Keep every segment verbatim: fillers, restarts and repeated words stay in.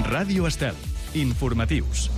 Ràdio Estel. Informatius.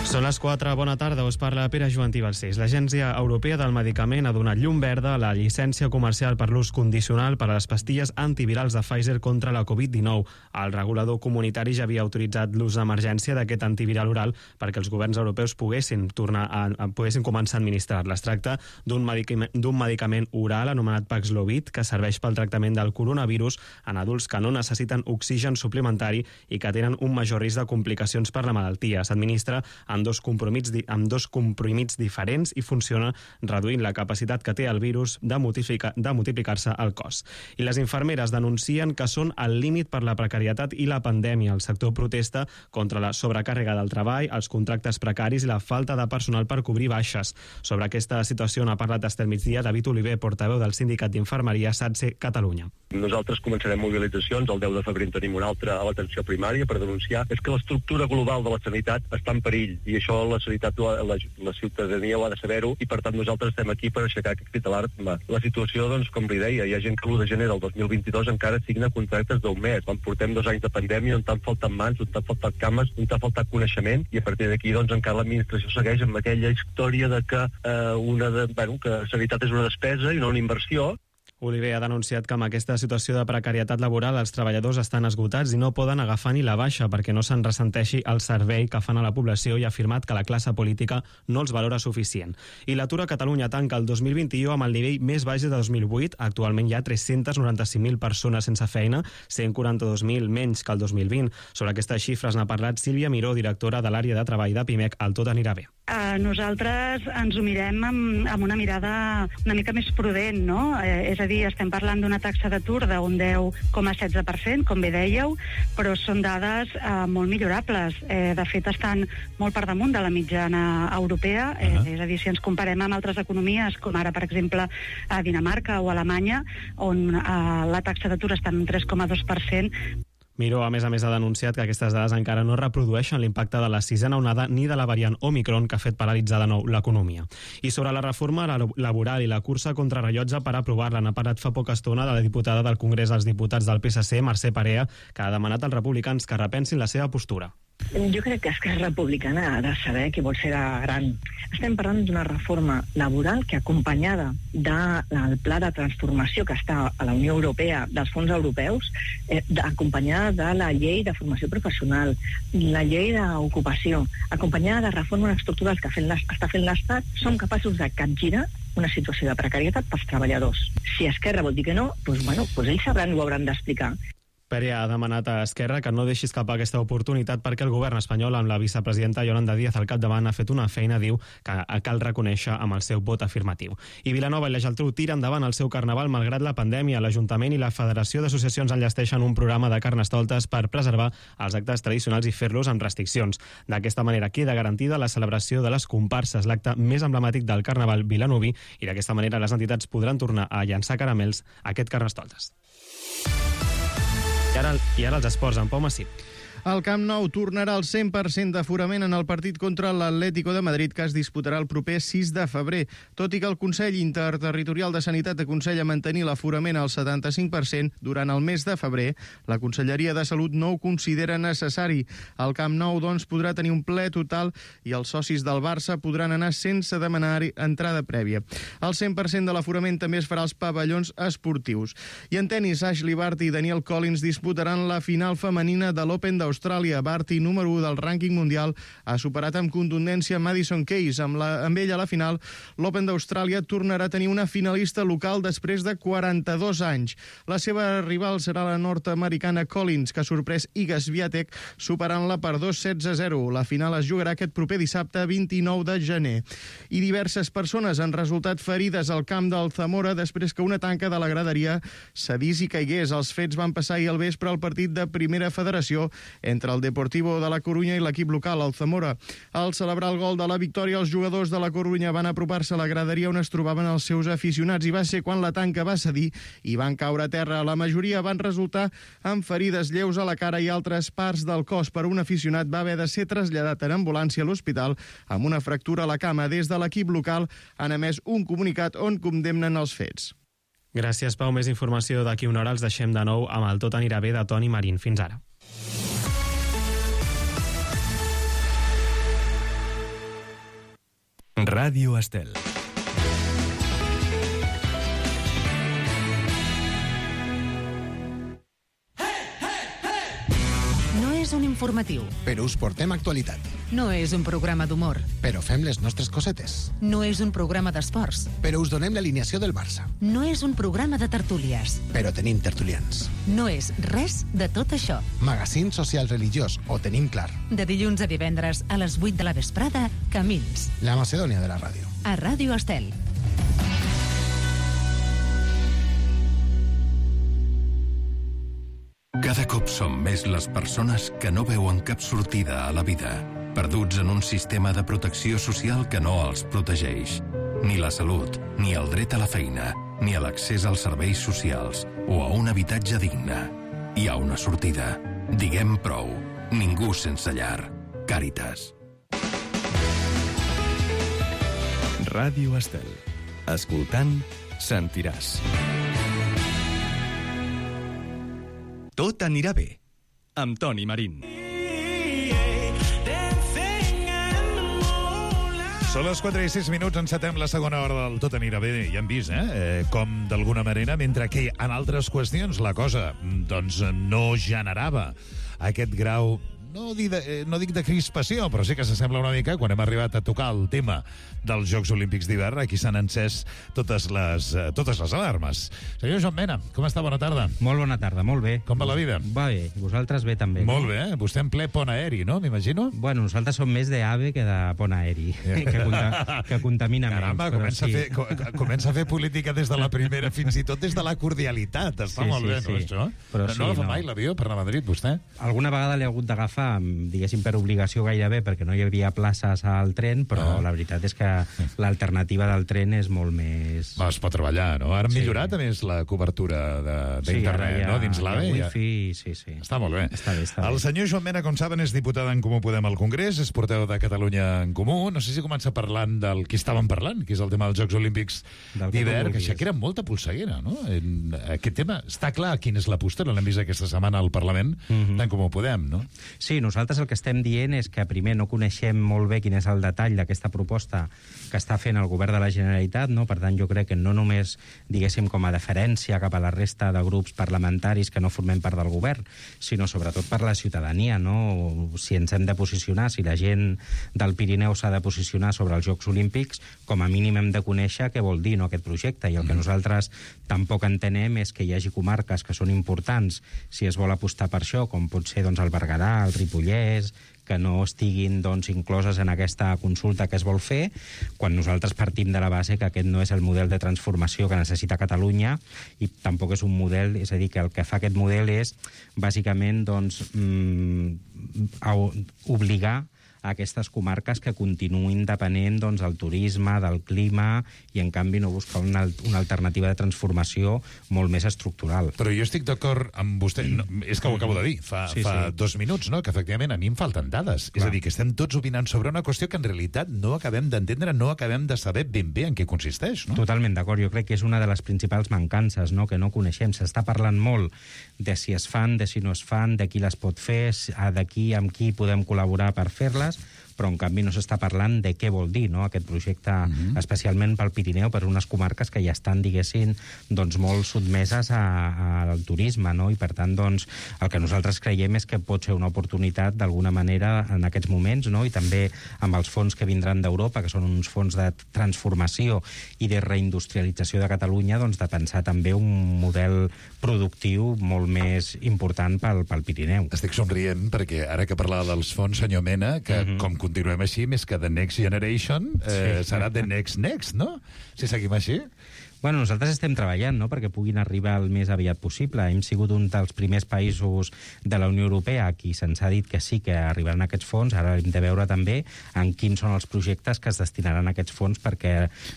Són les quatre, bona tarda, us parla Pere Joantí Balcells. L'Agència Europea del Medicament ha donat llum verda a la llicència comercial per l'ús condicional per a les pastilles antivirals de Pfizer contra la covid dinou. El regulador comunitari ja havia autoritzat l'ús d'emergència d'aquest antiviral oral perquè els governs europeus poguessin tornar a, a poguessin començar a administrar-la. Es tracta d'un medicament, d'un medicament oral anomenat Paxlovid que serveix pel tractament del coronavirus en adults que no necessiten oxigen suplementari i que tenen un major risc de complicacions per la malaltia. S'administra amb dos comprimits, amb dos comprimits diferents i funciona reduint la capacitat que té el virus de, multiplica, de multiplicar-se al cos. I les infermeres denuncien que són al límit per la precarietat i la pandèmia. El sector protesta contra la sobrecàrrega del treball, els contractes precaris i la falta de personal per cobrir baixes. Sobre aquesta situació n'ha parlat Estel Migdia David Oliver, portaveu del Sindicat d'Infermeria SATSE Catalunya. Nosaltres començarem mobilitzacions, el deu de febrer en tenim una altra a l'atenció primària per denunciar és que l'estructura global de la sanitat està en perill i això la sanitat, la, la ciutadania ho ha de saber-ho i per tant nosaltres estem aquí per aixecar aquest crit d'alarma. La situació, doncs, com li deia, hi ha gent que l'u de gener del dos mil vint-i-dos encara signa contractes d'un mes. Quan portem dos anys de pandèmia on t'han faltat mans, on t'han faltat cames, on t'ha faltat coneixement i a partir d'aquí, doncs, encara l'administració segueix amb aquella història de que, eh, una de, bueno, que sanitat és una despesa i no una inversió. Oliver ha denunciat que amb aquesta situació de precarietat laboral els treballadors estan esgotats i no poden agafar ni la baixa perquè no se'n ressenteixi el servei que fan a la població i ha afirmat que la classe política no els valora suficient. I l'atur a Catalunya tanca el dos mil vint-i-u amb el nivell més baix de dos mil vuit. Actualment hi ha tres-cents noranta-cinc mil persones sense feina, cent quaranta-dos mil menys que el dos mil vint. Sobre aquestes xifres n'ha parlat Sílvia Miró, directora de l'àrea de treball de Pimec. El tot anirà bé. Uh, nosaltres ens ho mirem amb, amb una mirada una mica més prudent, no? Eh, és a dir, estem parlant d'una taxa d'atur d'un deu coma setze per cent, com bé dèieu, però són dades uh, molt millorables. Eh, de fet, estan molt per damunt de la mitjana europea, eh, uh-huh. és a dir, si ens comparem amb altres economies, com ara, per exemple, a Dinamarca o a Alemanya, on uh, la taxa d'atur està en un tres coma dos per cent. Miró, a més a més, ha denunciat que aquestes dades encara no reprodueixen l'impacte de la sisena onada ni de la variant Omicron que ha fet paralitzar de nou l'economia. I sobre la reforma laboral i la cursa contra rellotge per aprovar-la n'ha parlat fa poca estona de la diputada del Congrés dels Diputats del P S C, Mercè Parea, que ha demanat als republicans que repensin la seva postura. Jo crec que Esquerra Republicana ha de saber que vol ser gran. Estem parlant d'una reforma laboral que, acompanyada del pla de transformació que està a la Unió Europea, dels fons europeus, eh, acompanyada de la llei de formació professional, la llei d'ocupació, acompanyada de reformes estructurals que fent està fent l'Estat, som capaços de capgirar una situació de precarietat pels treballadors. Si Esquerra vol dir que no, doncs, bueno, doncs ells sabran i ho hauran d'explicar. Pere ha demanat a Esquerra que no deixi escapar aquesta oportunitat perquè el govern espanyol, amb la vicepresidenta Yolanda Díaz al capdavant, ha fet una feina, diu, que cal reconèixer amb el seu vot afirmatiu. I Vilanova i la Geltrú tira endavant el seu carnaval malgrat la pandèmia. L'Ajuntament i la Federació d'Associacions enllesteixen un programa de carnestoltes per preservar els actes tradicionals i fer-los amb restriccions. D'aquesta manera queda garantida la celebració de les comparses, l'acte més emblemàtic del carnaval vilanoví, i d'aquesta manera les entitats podran tornar a llançar caramels a aquest carnestoltes. I ara, I ara els esports, en Pau Massip. El Camp Nou tornarà al cent per cent d'aforament en el partit contra l'Atlético de Madrid, que es disputarà el proper sis de febrer. Tot i que el Consell Interterritorial de Sanitat aconsella mantenir l'aforament al setanta-cinc per cent durant el mes de febrer, la Conselleria de Salut no ho considera necessari. El Camp Nou, doncs, podrà tenir un ple total i els socis del Barça podran anar sense demanar entrada prèvia. El cent per cent de l'aforament també es farà als pavellons esportius. I en tenis, Ashley Barty i Danielle Collins disputaran la final femenina de l'Open d'Austràlia. Barty, número u del rànquing mundial, ha superat amb contundència Madison Keys. Amb, la, amb ell a la final, l'Open d'Austràlia tornarà a tenir una finalista local després de quaranta-dos anys. La seva rival serà la nord-americana Collins, que ha sorprès Iga Swiatek superant-la per dos setze a zero. La final es jugarà aquest proper dissabte vint-i-nou de gener. I diverses persones han resultat ferides al camp del Zamora després que una tanca de la graderia cedís i caigués. Els fets van passar ahir al vespre al partit de Primera Federació entre el Deportivo de la Corunya i l'equip local, el Zamora. Al celebrar el gol de la victòria, els jugadors de la Corunya van apropar-se a la graderia on es trobaven els seus aficionats i va ser quan la tanca va cedir i van caure a terra. La majoria van resultar amb ferides lleus a la cara i altres parts del cos. Per un aficionat va haver de ser traslladat en ambulància a l'hospital amb una fractura a la cama. Des de l'equip local han emès un comunicat on condemnen els fets. Gràcies, Pau. Més informació d'aquí una hora. Els deixem de nou amb el Tot anirà bé de Toni Marín. Fins ara. Ràdio Estel. No és un informatiu. Però us portem actualitat. No és un programa d'humor. Però fem les nostres cosetes. No és un programa d'esports. Però us donem l'alineació del Barça. No és un programa de tertúlies. Però tenim tertulians. No és res de tot això. Magazín social religiós, ho tenim clar. De dilluns a divendres a les vuit de la vesprada, Camins. La Macedònia de la ràdio. A Ràdio Estel. Cada cop som més les persones que no veuen cap sortida a la vida, perduts en un sistema de protecció social que no els protegeix. Ni la salut, ni el dret a la feina, ni a l'accés als serveis socials o a un habitatge digne. Hi ha una sortida. Diguem prou. Ningú sense llar. Càritas. Ràdio Estel. Escoltant, sentiràs. Tot anirà bé, amb Toni Marín. Són les quatre i sis minuts, encetem la segona hora del Tot anirà bé. Ja hem vist, eh? eh com d'alguna manera, mentre que en altres qüestions la cosa doncs no generava aquest grau, no dic, de, no dic de crispació, però sí que s'assembla una mica quan hem arribat a tocar el tema dels Jocs Olímpics d'hivern. Aquí s'han encès totes les, totes les alarmes. Senyor Joan Mena, com està? Bona tarda. Molt bona tarda, molt bé. Com va la vida? Va bé, vosaltres bé també. Molt no? bé, eh? Vostè en ple pont aeri, no? M'imagino? Bueno, nosaltres som més d'AVE que de pont aeri, que, conta, que contamina Caramba, menys. Comença, sí. a fer, co comença a fer política des de la primera, fins i tot des de la cordialitat. Està sí, molt sí, bé, sí. no, això? Però no sí, no la fa no. mai l'avió per anar a Madrid, vostè? Alguna vegada l'he hagut d'agafar, diguéssim, per obligació gairebé, perquè no hi havia places al tren, però ah. la veritat és que l'alternativa del tren és molt més... Va, es pot treballar, no? Ara han sí. millorat, a més, la cobertura d'internet, sí, no? Dins l'AVE. Ja... Wifi, sí, sí. Està molt bé. Està bé, està el bé. senyor Joan Mena, com saben, és diputat en Comú Podem al Congrés, és porteu de Catalunya en Comú. No sé si comença parlant del que estàvem parlant, que és el tema dels Jocs Olímpics d'hivern, que això que era molta polseguera, no? En aquest tema està clar quina és la postura, l'hem vist aquesta setmana al Parlament mm-hmm. d'en Comú Podem, no? Sí, nosaltres el que estem dient és que primer no coneixem molt bé quin és el detall d'aquesta proposta que està fent el govern de la Generalitat, no? Per tant, jo crec que no només, diguéssim, com a deferència cap a la resta de grups parlamentaris que no formem part del govern, sinó sobretot per la ciutadania, no? Si ens hem de posicionar, si la gent del Pirineu s'ha de posicionar sobre els Jocs Olímpics, com a mínim hem de conèixer què vol dir, no, aquest projecte, i el que nosaltres tampoc entenem és que hi hagi comarques que són importants si es vol apostar per això, com pot ser doncs, el Berguedà, el Ripollès, que no estiguin doncs, incloses en aquesta consulta que es vol fer, quan nosaltres partim de la base que aquest no és el model de transformació que necessita Catalunya i tampoc és un model, és a dir, que el que fa aquest model és bàsicament doncs, mm, obligar a aquestes comarques que continuïn depenent doncs, del turisme, del clima, i en canvi no buscar una, una alternativa de transformació molt més estructural. Però jo estic d'acord amb vostè, no, és que ho acabo de dir, fa, sí, fa sí. dos minuts, no? Que efectivament a mi em falten dades. Clar. És a dir, que estem tots opinant sobre una qüestió que en realitat no acabem d'entendre, no acabem de saber ben bé en què consisteix, no? Totalment d'acord, jo crec que és una de les principals mancances, no? Que no coneixem. S'està parlant molt de si es fan, de si no es fan, de qui les pot fer, de qui amb qui podem col·laborar per fer-les, però en canvi no s'està parlant de què vol dir, no? Aquest projecte, mm-hmm. especialment pel Pirineu, per unes comarques que ja estan, diguéssim, doncs molt sotmeses a, a, al turisme, no? I per tant, doncs, el que nosaltres creiem és que pot ser una oportunitat d'alguna manera en aquests moments, no? I també amb els fons que vindran d'Europa, que són uns fons de transformació i de reindustrialització de Catalunya, doncs de pensar també un model productiu molt més important pel, pel Pirineu. Estic somrient perquè ara que parlava dels fons, senyor Mena, que mm-hmm. com continuem així, més que The Next Generation, eh, sí. serà The Next Next, no? Si seguim així. Bueno, nosaltres estem treballant, no?, perquè puguin arribar el més aviat possible. Hem sigut un dels primers països de la Unió Europea a qui se'ns ha dit que sí que arribaran aquests fons. Ara hem de veure també en quins són els projectes que es destinaran a aquests fons, perquè,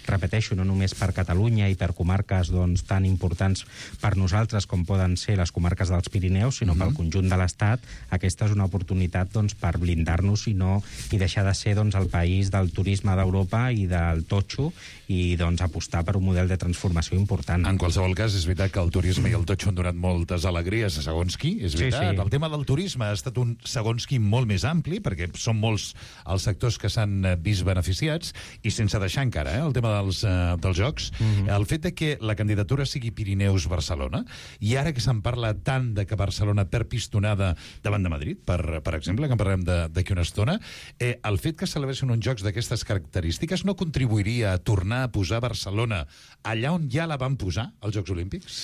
repeteixo, no només per Catalunya i per comarques doncs, tan importants per nosaltres com poden ser les comarques dels Pirineus, sinó mm-hmm. pel conjunt de l'Estat. Aquesta és una oportunitat doncs, per blindar-nos i, no, i deixar de ser doncs, el país del turisme d'Europa i del totxo, i doncs, apostar per un model de transformació transformació important. En qualsevol cas, és veritat que el turisme i el totxo han donat moltes alegries a segons qui, és veritat. Sí, sí. El tema del turisme ha estat un segons qui molt més ampli, perquè són molts els sectors que s'han vist beneficiats, i sense deixar encara eh, el tema dels, uh, dels jocs, mm-hmm. el fet de que la candidatura sigui Pirineus-Barcelona, i ara que se'n parla tant de que Barcelona perd pistonada davant de Madrid, per, per exemple, que en parlem d'aquí una estona, eh, el fet que celebressin uns jocs d'aquestes característiques no contribuiria a tornar a posar Barcelona allà on ja la van posar, als Jocs Olímpics?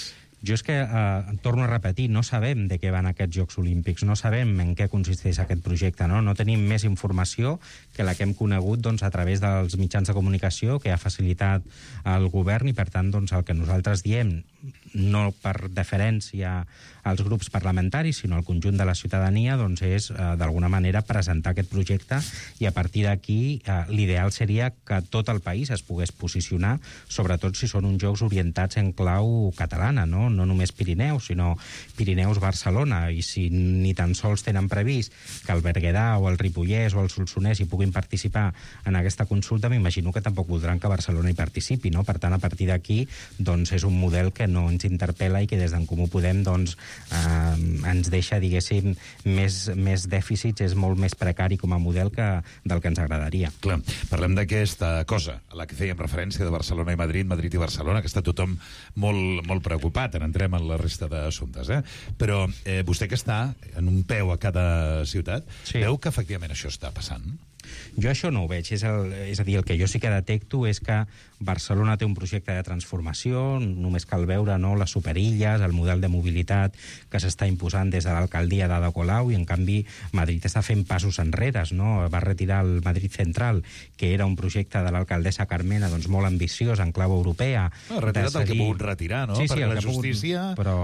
Jo és que, eh, torno a repetir, no sabem de què van aquests Jocs Olímpics, no sabem en què consisteix aquest projecte, no? No tenim més informació que la que hem conegut doncs, a través dels mitjans de comunicació que ha facilitat el govern, i per tant doncs, el que nosaltres diem, no per deferència als grups parlamentaris, sinó al conjunt de la ciutadania, doncs és, eh, d'alguna manera, presentar aquest projecte, i a partir d'aquí eh, l'ideal seria que tot el país es pogués posicionar, sobretot si són uns jocs orientats en clau catalana, no? No només Pirineus, sinó Pirineus-Barcelona, i si ni tan sols tenen previst que el Berguedà o el Ripollès o el Solsonès hi puguin participar en aquesta consulta, m'imagino que tampoc voldran que Barcelona hi participi, no? Per tant, a partir d'aquí, doncs, és un model que no ens interpel·la i que des d'en Comú Podem, doncs, eh, ens deixa, diguéssim, més, més dèficits, és molt més precari com a model que del que ens agradaria. Clar, parlem d'aquesta cosa a la que fèiem referència de Barcelona i Madrid, Madrid i Barcelona, que està tothom molt, molt preocupat. Entrem en la resta d'assumptes, eh? Però eh, vostè que està en un peu a cada ciutat, sí. Veu que efectivament això està passant? Jo això no ho veig, és, el, és a dir, el que jo sí que detecto és que Barcelona té un projecte de transformació, només cal veure, no, les superilles, el model de mobilitat que s'està imposant des de l'alcaldia d'Ada Colau, i en canvi Madrid està fent passos enrere, no? Va retirar el Madrid Central, que era un projecte de l'alcaldessa Carmena, doncs molt ambiciós en clau europea. No, ha retirat seguir... el que ha pogut retirar, no? Sí, sí, perquè la que justícia... Pogut... Però,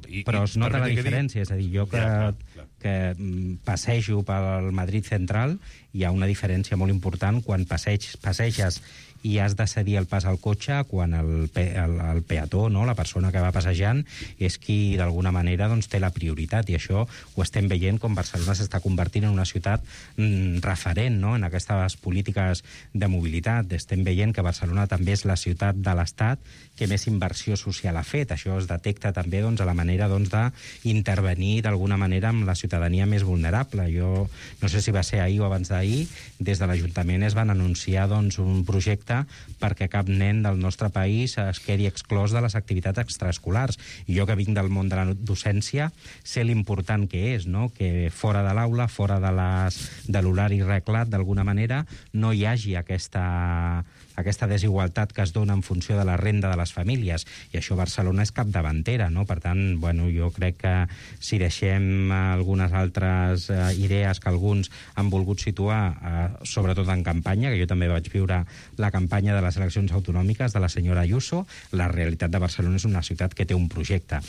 I, però es nota la diferència, dir... és a dir, jo que... Ja, clar, clar. que passejo pel Madrid Central, hi ha una diferència molt important quan passeig, passeges i has de cedir el pas al cotxe, quan el, pe, el, el peató, no, la persona que va passejant, és qui d'alguna manera doncs, té la prioritat, i això ho estem veient com Barcelona s'està convertint en una ciutat mm, referent, no, en aquestes polítiques de mobilitat. Estem veient que Barcelona també és la ciutat de l'Estat que més inversió social ha fet. Això es detecta també doncs, a la manera doncs, d'intervenir d'alguna manera amb la ciutadania més vulnerable. Jo no sé si va ser ahir o abans d'ahir, des de l'Ajuntament es van anunciar doncs, un projecte perquè cap nen del nostre país es quedi exclòs de les activitats extraescolars. I jo, que vinc del món de la docència, sé l'important que és, no? Que fora de l'aula, fora de, les, de l'horari reglat, d'alguna manera, no hi hagi aquesta... aquesta desigualtat que es dona en funció de la renda de les famílies, i això Barcelona és capdavantera, no? Per tant, bueno, jo crec que si deixem algunes altres eh, idees que alguns han volgut situar, eh, sobretot en campanya, que jo també vaig viure la campanya de les eleccions autonòmiques de la senyora Ayuso, la realitat de Barcelona és una ciutat que té un projecte.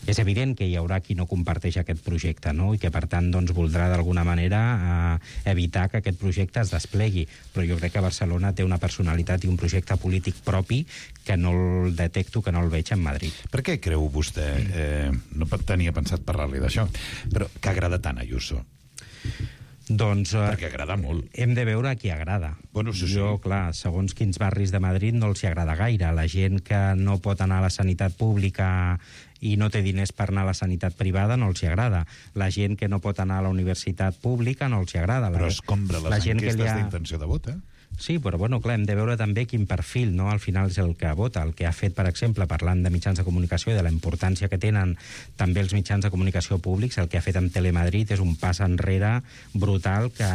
És evident que hi haurà qui no comparteix aquest projecte, no? I que, per tant, doncs, voldrà d'alguna manera eh, evitar que aquest projecte es desplegui, però jo crec que Barcelona té una personalitat i un projecte polític propi que no el detecto, que no el veig en Madrid. Per què creu vostè, eh, no tenia pensat parlar-li d'això, però que agrada tant Ayuso? Doncs... Eh, Perquè agrada molt. Hem de veure a qui agrada. Bueno, sí, sí. Jo, clar, segons quins barris de Madrid no els hi agrada gaire. La gent que no pot anar a la sanitat pública i no té diners per anar a la sanitat privada no els hi agrada. La gent que no pot anar a la universitat pública no els hi agrada. Però escombra les la gent enquestes ha... d'intenció de vot, eh? Sí, però bueno, clar, hem de veure també quin perfil, no? Al final és el que vota, el que ha fet, per exemple, parlant de mitjans de comunicació i de la importància que tenen també els mitjans de comunicació públics, el que ha fet amb Telemadrid és un pas enrere brutal que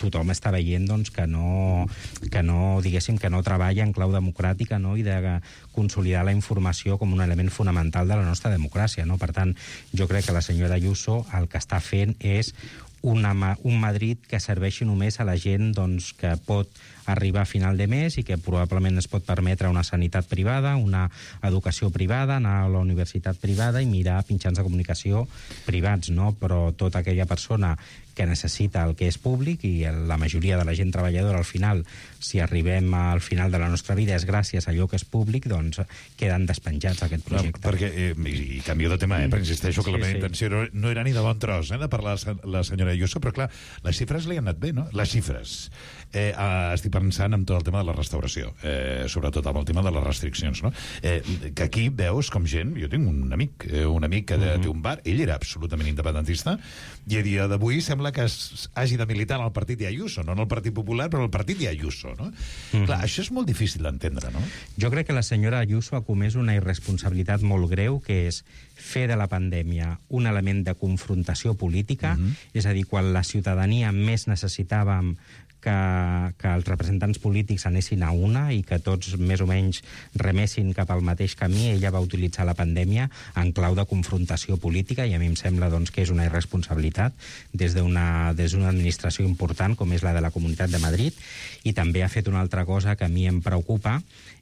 tothom està veient doncs, que, no, que no, diguéssim, que no treballa en clau democràtica, no? I de consolidar la informació com un element fonamental de la nostra democràcia, no? Per tant, jo crec que la senyora Ayuso el que està fent és una, un Madrid que serveixi només a la gent doncs, que pot arribar a final de mes i que probablement es pot permetre una sanitat privada, una educació privada, anar a la universitat privada i mirar mitjans de comunicació privats, no? Però tota aquella persona que necessita el que és públic, i la majoria de la gent treballadora al final, si arribem al final de la nostra vida és gràcies a allò que és públic, doncs queden despenjats aquest projecte. No, perquè, eh, i, i canvio de tema, eh, però insisteixo que sí, la meva sí. intenció no, no era ni de bon tros, eh, de parlar la senyora Ayuso, però clar, les xifres li han anat bé, no? Les xifres. Eh, eh, estic parlant pensant en tot el tema de la restauració, eh, sobretot amb el tema de les restriccions, no? Eh, que aquí veus com gent... Jo tinc un amic, eh, un amic que uh-huh. té un bar, ell era absolutament independentista, i a dia d'avui sembla que es, hagi de militar en el partit de Ayuso, no en el Partit Popular, però en el partit de Ayuso, no? Uh-huh. Clar, això és molt difícil d'entendre, no? Jo crec que la senyora Ayuso ha comès una irresponsabilitat molt greu, que és fer de la pandèmia un element de confrontació política, uh-huh. és a dir, quan la ciutadania més necessitàvem que, que els representants polítics anessin a una i que tots més o menys remessin cap al mateix camí, ella va utilitzar la pandèmia en clau de confrontació política, i a mi em sembla doncs, que és una irresponsabilitat des d'una des d'una administració important com és la de la Comunitat de Madrid, i també ha fet una altra cosa que a mi em preocupa,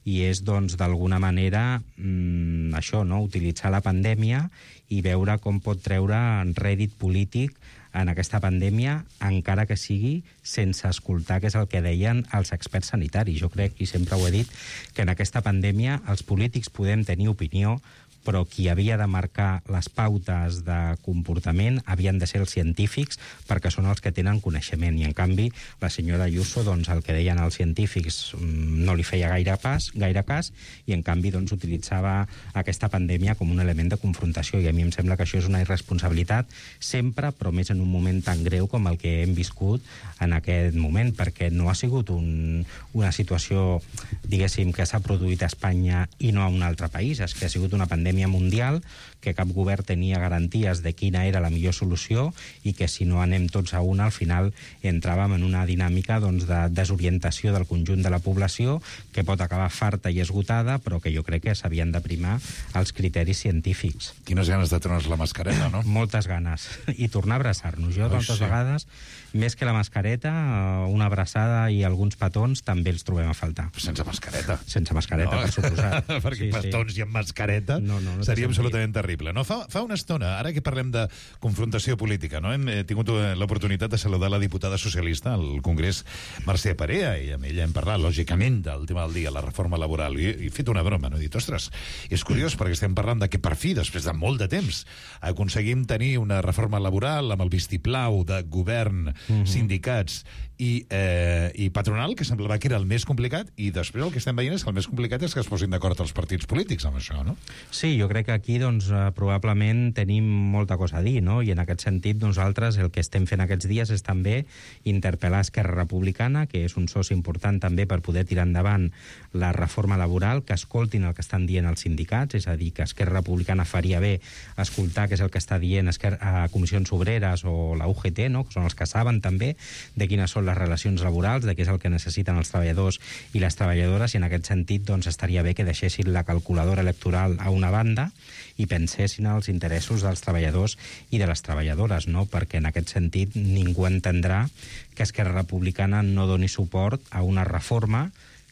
i és, doncs, d'alguna manera mmm, això, no?, utilitzar la pandèmia i veure com pot treure en rèdit polític en aquesta pandèmia, encara que sigui sense escoltar què és el que deien els experts sanitaris. Jo crec, i sempre ho he dit, que en aquesta pandèmia els polítics podem tenir opinió, però qui havia de marcar les pautes de comportament havien de ser els científics, perquè són els que tenen coneixement, i en canvi la senyora Ayuso, doncs, el que deien els científics no li feia gaire pas, gaire cas, i en canvi doncs, utilitzava aquesta pandèmia com un element de confrontació, i a mi em sembla que això és una irresponsabilitat sempre, però més en un moment tan greu com el que hem viscut en aquest moment, perquè no ha sigut un, una situació, diguéssim, que s'ha produït a Espanya i no a un altre país, és que ha sigut una pandèmia mundial, que cap govern tenia garanties de quina era la millor solució, i que si no anem tots a una, al final entràvem en una dinàmica, doncs, de desorientació del conjunt de la població, que pot acabar farta i esgotada, però que jo crec que s'havien de primar els criteris científics. Quines ganes de treure's la mascareta, no? Moltes ganes. I tornar a abraçar-nos. Jo, tantes sí. vegades, més que la mascareta, una abraçada i alguns petons també els trobem a faltar. Sense mascareta. Sense mascareta, no. Per suposat. Perquè sí, petons sí. i amb mascareta no, no, no seria absolutament terrible. No? Fa, fa una estona, ara que parlem de confrontació política, no? hem tingut l'oportunitat de saludar la diputada socialista al Congrés, Mercè Perea, i amb ella hem parlat, lògicament, del tema del dia, la reforma laboral, i he fet una broma, no? He dit, ostres, és curiós perquè estem parlant de que per fi, després de molt de temps, aconseguim tenir una reforma laboral amb el vistiplau de govern, mm-hmm. sindicats i, eh, i patronal, que semblava que era el més complicat, i després el que estem veient és que el més complicat és que es posin d'acord els partits polítics amb això, no? Sí, jo crec que aquí, doncs, probablement tenim molta cosa a dir, no? I en aquest sentit, nosaltres el que estem fent aquests dies és també interpel·lar Esquerra Republicana, que és un soci important també per poder tirar endavant la reforma laboral, que escoltin el que estan dient els sindicats, és a dir, que Esquerra Republicana faria bé escoltar què és el que està dient Esquerra, a Comissions Obreres o la U G T, no? Que són els que saben també de quines són les relacions laborals, de què és el que necessiten els treballadors i les treballadores, i en aquest sentit doncs, estaria bé que deixessin la calculadora electoral a una banda i pensessin als interessos dels treballadors i de les treballadores, no? Perquè en aquest sentit ningú entendrà que Esquerra Republicana no doni suport a una reforma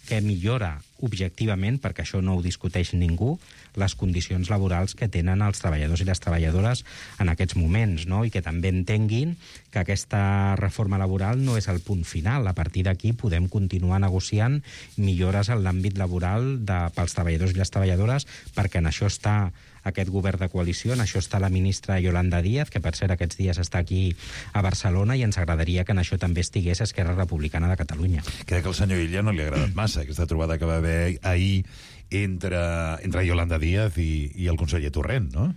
que millora objectivament, perquè això no ho discuteix ningú, les condicions laborals que tenen els treballadors i les treballadores en aquests moments, no? I que també entenguin que aquesta reforma laboral no és el punt final. A partir d'aquí podem continuar negociant millores en l'àmbit laboral de, pels treballadors i les treballadores, perquè en això està aquest govern de coalició, en això està la ministra Yolanda Díaz, que per cert aquests dies està aquí a Barcelona, i ens agradaria que en això també estigués Esquerra Republicana de Catalunya. Crec que al senyor Illa no li ha agradat massa aquesta trobada que va haver ahir entre, entre Yolanda Díaz i, i el conseller Torrent, no?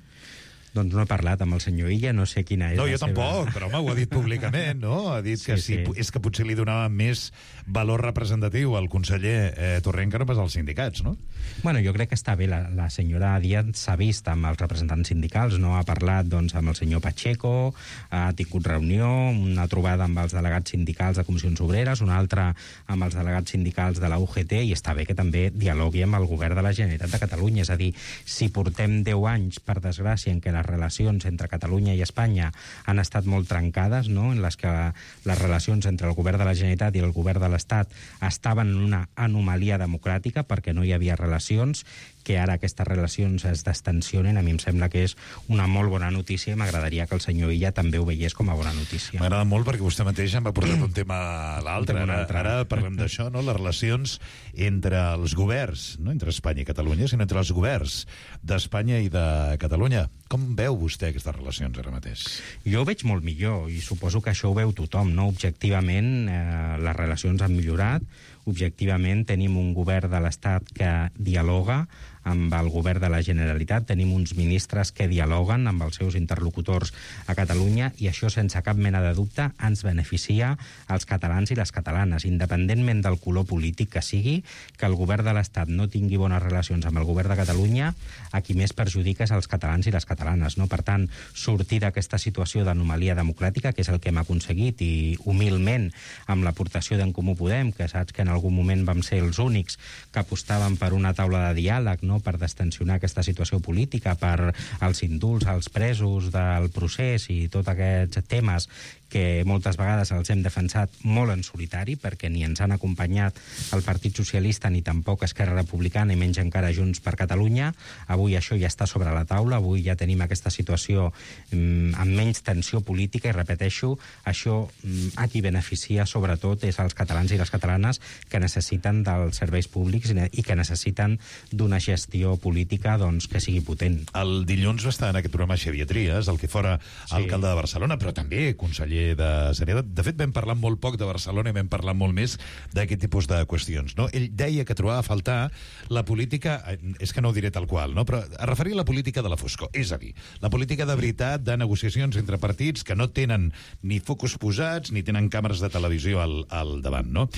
Doncs no he parlat amb el senyor Illa, no sé quina és no, la jo seva... tampoc, però home, ho ha dit públicament, no? Ha dit que sí, sí. és que potser li donava més valor representatiu al conseller eh, Torrent que no pas als sindicats, no? Bueno, jo crec que està bé. La, la senyora Díaz s'ha vist amb els representants sindicals, no? Ha parlat, doncs, amb el senyor Pacheco, ha tingut reunió, una trobada amb els delegats sindicals de Comissions Obreres, una altra amb els delegats sindicals de la U G T, i està bé que també dialogui amb el govern de la Generalitat de Catalunya. És a dir, si portem deu anys, per desgràcia, en què les relacions entre Catalunya i Espanya han estat molt trencades, no? En les que les relacions entre el govern de la Generalitat i el govern de l'Estat estaven en una anomalia democràtica perquè no hi havia relacions, que ara aquestes relacions es destensionen, a mi em sembla que és una molt bona notícia, i m'agradaria que el senyor Illa també ho veiés com a bona notícia. M'agrada molt perquè vostè mateix em va portar un tema a l'altre. Ara, ara parlem d'això, no? Les relacions entre els governs, no entre Espanya i Catalunya, sinó entre els governs d'Espanya i de Catalunya. Com veu vostè aquestes relacions ara mateix? Jo ho veig molt millor, i suposo que això ho veu tothom, no? Objectivament, eh, les relacions han millorat. objectivament tenim un govern de l'Estat que dialoga amb el govern de la Generalitat, tenim uns ministres que dialoguen amb els seus interlocutors a Catalunya i això, sense cap mena de dubte, ens beneficia als catalans i les catalanes, independentment del color polític que sigui, que el govern de l'Estat no tingui bones relacions amb el govern de Catalunya, a qui més perjudica és als catalans i les catalanes, no? Per tant, sortir d'aquesta situació d'anomalia democràtica, que és el que hem aconseguit, i humilment amb l'aportació d'en Comú Podem, que saps que en algun moment vam ser els únics que apostaven per una taula de diàleg, no? Per destensionar aquesta situació política, per als indults, als presos del procés i tots aquests temes que moltes vegades els hem defensat molt en solitari, perquè ni ens han acompanyat el Partit Socialista ni tampoc Esquerra Republicana i menys encara Junts per Catalunya. Avui això ja està sobre la taula, avui ja tenim aquesta situació mm, amb menys tensió política i, repeteixo, això mm, a qui beneficia sobretot és als catalans i les catalanes que necessiten dels serveis públics i que necessiten d'una gestió política doncs, que sigui potent. El dilluns va estar en aquest programa Xavier Trias, el que fora sí. alcalde de Barcelona, però també conseller de Sanitat. De fet, vam parlar molt poc de Barcelona i vam parlar molt més d'aquest tipus de qüestions. No? Ell deia que trobava a faltar la política, és que no ho diré tal qual, no? Però es referia a la política de la foscor, és a dir, la política de veritat de negociacions entre partits que no tenen ni focus posats ni tenen càmeres de televisió al, al davant. No?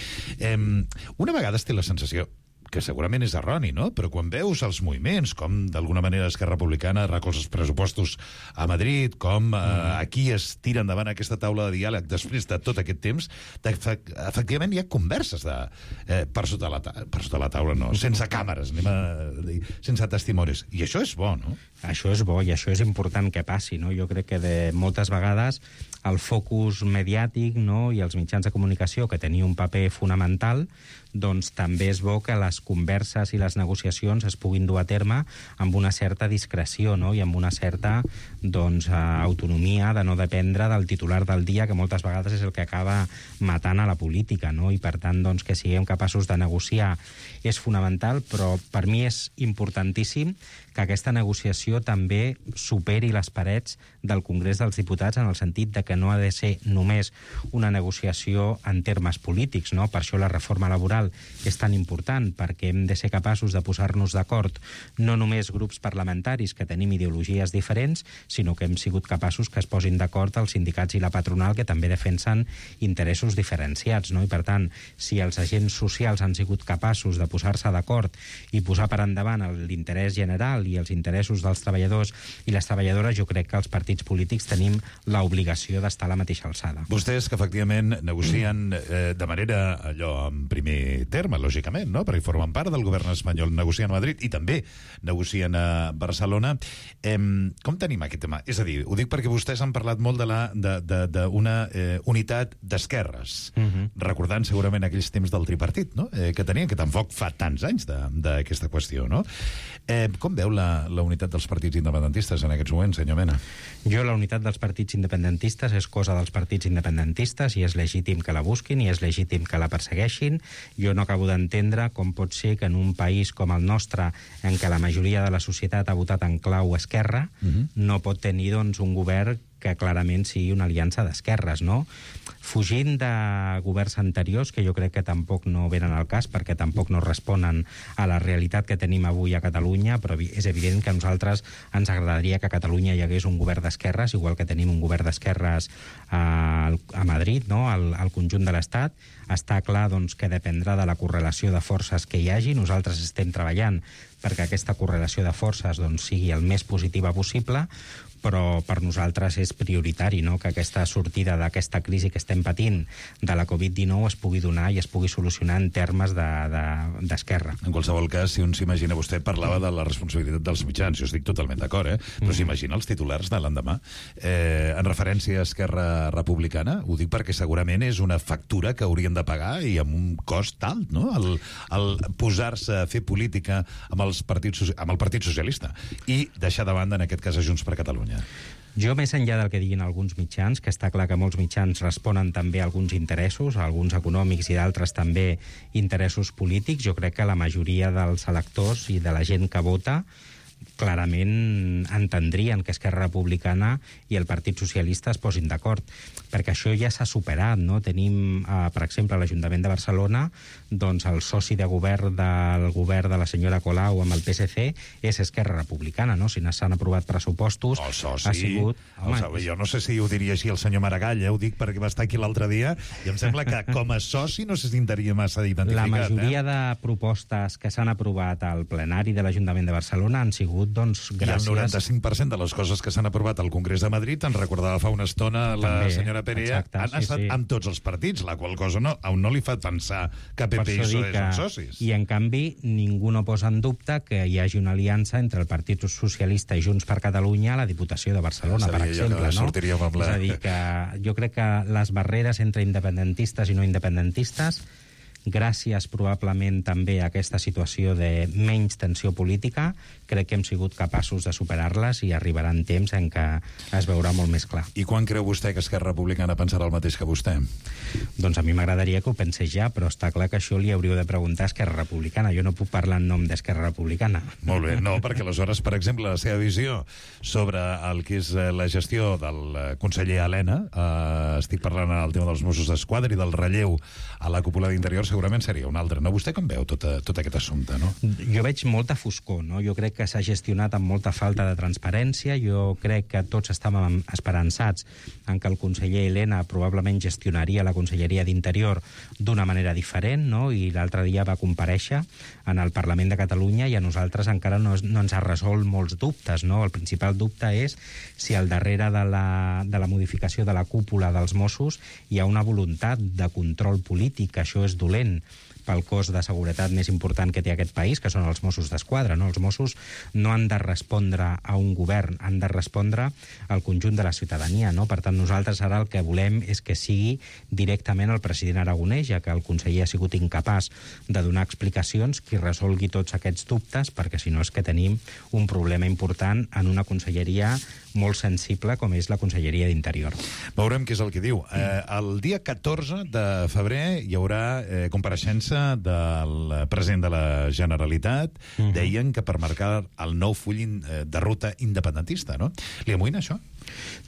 Eh, una vegada es té la sensació que segurament és erroni, no? Però quan veus els moviments, com d'alguna manera Esquerra Republicana recolza els pressupostos a Madrid, com eh, aquí es tira endavant aquesta taula de diàleg després de tot aquest temps, efectivament hi ha converses de, eh, per, sota la per sota la taula, no? Sense càmeres, anem a dir, sense testimonis. I això és bo, no? Això és bo i això és important que passi, no? Jo crec que de moltes vegades el focus mediàtic, no?, i els mitjans de comunicació, que tenia un paper fonamental, doncs també és bo que les converses i les negociacions es puguin dur a terme amb una certa discreció, no?, i amb una certa doncs, autonomia de no dependre del titular del dia, que moltes vegades és el que acaba matant a la política, no? I per tant, doncs, que siguem capaços de negociar és fonamental, però per mi és importantíssim que aquesta negociació també superi les parets del Congrés dels Diputats, en el sentit de que no ha de ser només una negociació en termes polítics, no? Per això la reforma laboral és tan important, perquè hem de ser capaços de posar-nos d'acord no només grups parlamentaris que tenim ideologies diferents, sinó que hem sigut capaços que es posin d'acord els sindicats i la patronal, que també defensen interessos diferenciats, no? I per tant, si els agents socials han sigut capaços de posar-se d'acord i posar per endavant l'interès general i els interessos dels treballadors i les treballadores, jo crec que els partits polítics tenim l'obligació d'estar a la mateixa alçada. Vostès que efectivament negocien eh, de manera allò en primer terme, lògicament, no? Perquè formen part del govern espanyol, negocien a Madrid i també negocien a Barcelona. Eh, com tenim aquest tema? És a dir, ho dic perquè vostès han parlat molt d'una de de, de, de eh, unitat d'esquerres, uh-huh. recordant segurament aquells temps del tripartit, no? eh, que tenien, que tampoc fa tants anys d'aquesta qüestió, no? Eh, com veu la, la unitat dels partits independentistes en aquests moments, senyor Mena? Jo, la unitat dels partits independentistes és cosa dels partits independentistes i és legítim que la busquin i és legítim que la persegueixin. Jo no acabo d'entendre com pot ser que en un país com el nostre, en què la majoria de la societat ha votat en clau esquerra, uh-huh. no pot tenir doncs, un govern que clarament sigui una aliança d'esquerres, no? Fugint de governs anteriors, que jo crec que tampoc no venen al cas, perquè tampoc no responen a la realitat que tenim avui a Catalunya, però és evident que a nosaltres ens agradaria que a Catalunya hi hagués un govern d'esquerres, igual que tenim un govern d'esquerres a, a Madrid, no?, al, al conjunt de l'Estat. Està clar doncs, que dependrà de la correlació de forces que hi hagi. Nosaltres estem treballant perquè aquesta correlació de forces doncs, sigui el més positiva possible, però per nosaltres és prioritari, no?, que aquesta sortida d'aquesta crisi que estem patint de la covid dinou es pugui donar i es pugui solucionar en termes d'esquerra. De, de, en qualsevol cas, si un s'imagina, vostè parlava de la responsabilitat dels mitjans, jo estic totalment d'acord, eh? però mm. s'imagina els titulars de l'endemà. Eh, en referència a Esquerra Republicana, ho dic perquè segurament és una factura que haurien de pagar i amb un cost alt, no?, el, el posar-se a fer política amb, els partits, amb el Partit Socialista i deixar de banda, en aquest cas, a Junts per Catalunya. Jo, més enllà del que diguin alguns mitjans, que està clar que molts mitjans responen també a alguns interessos, alguns econòmics i d'altres també interessos polítics, jo crec que la majoria dels electors i de la gent que vota clarament entendrien que Esquerra Republicana i el Partit Socialista es posin d'acord, perquè això ja s'ha superat, no? Tenim, eh, per exemple, a l'Ajuntament de Barcelona, doncs el soci de govern del govern de la senyora Colau amb el P S C és Esquerra Republicana, no? Si no s'han aprovat pressupostos, el soci, ha sigut... Home, el, jo no sé si ho diria així el senyor Maragall, eh? Ho dic perquè va estar aquí l'altre dia, i em sembla que com a soci no se sentiria massa identificat. La majoria eh? de propostes que s'han aprovat al plenari de l'Ajuntament de Barcelona han sigut, doncs, gràcies... I el noranta-cinc per cent de les coses que s'han aprovat al Congrés de Madrid, en recordava fa una estona la També, senyora Perea, exacte, han sí, estat sí. amb tots els partits, la qual cosa no, a un no li fa pensar que P P i P S O E són socis. I, en canvi, ningú no posa en dubte que hi hagi una aliança entre el Partit Socialista i Junts per Catalunya a la Diputació de Barcelona, per exemple, no? Amb la... És a dir, que jo crec que les barreres entre independentistes i no independentistes, gràcies probablement també a aquesta situació de menys tensió política, crec que hem sigut capaços de superar-les i arribaran temps en què es veurà molt més clar. I quan creu vostè que Esquerra Republicana pensarà el mateix que vostè? Doncs a mi m'agradaria que ho pensés ja, però està clar que això li hauríeu de preguntar a Esquerra Republicana. Jo no puc parlar en nom d'Esquerra Republicana. Molt bé, no, perquè aleshores, per exemple, la seva visió sobre el que és la gestió del conseller Elena, eh, estic parlant del tema dels Mossos d'Esquadra i del relleu a la cúpula d'Interior, segurament seria un altre. No? Vostè com veu tot, tot aquest assumpte, no? Jo veig molta foscor, no? Jo crec que s'ha gestionat amb molta falta de transparència. Jo crec que tots estàvem esperançats en que el conseller Elena probablement gestionaria la Conselleria d'Interior d'una manera diferent, no? I l'altre dia va comparèixer en el Parlament de Catalunya i a nosaltres encara no, no ens ha resolt molts dubtes, no? El principal dubte és si al darrere de la, de la modificació de la cúpula dels Mossos hi ha una voluntat de control polític. Això és dolent pel cos de seguretat més important que té aquest país, que són els Mossos d'Esquadra, no? Els Mossos no han de respondre a un govern, han de respondre al conjunt de la ciutadania, no? Per tant, nosaltres ara el que volem és que sigui directament el president Aragonès, ja que el conseller ha sigut incapaç de donar explicacions, qui resolgui tots aquests dubtes, perquè si no és que tenim un problema important en una conselleria molt sensible com és la Conselleria d'Interior. Veurem què és el que diu. Eh, el dia catorze de febrer hi haurà eh, compareixença del president de la Generalitat. Uh-huh. Deien que per marcar el nou full de ruta independentista, no? Li amoïna això?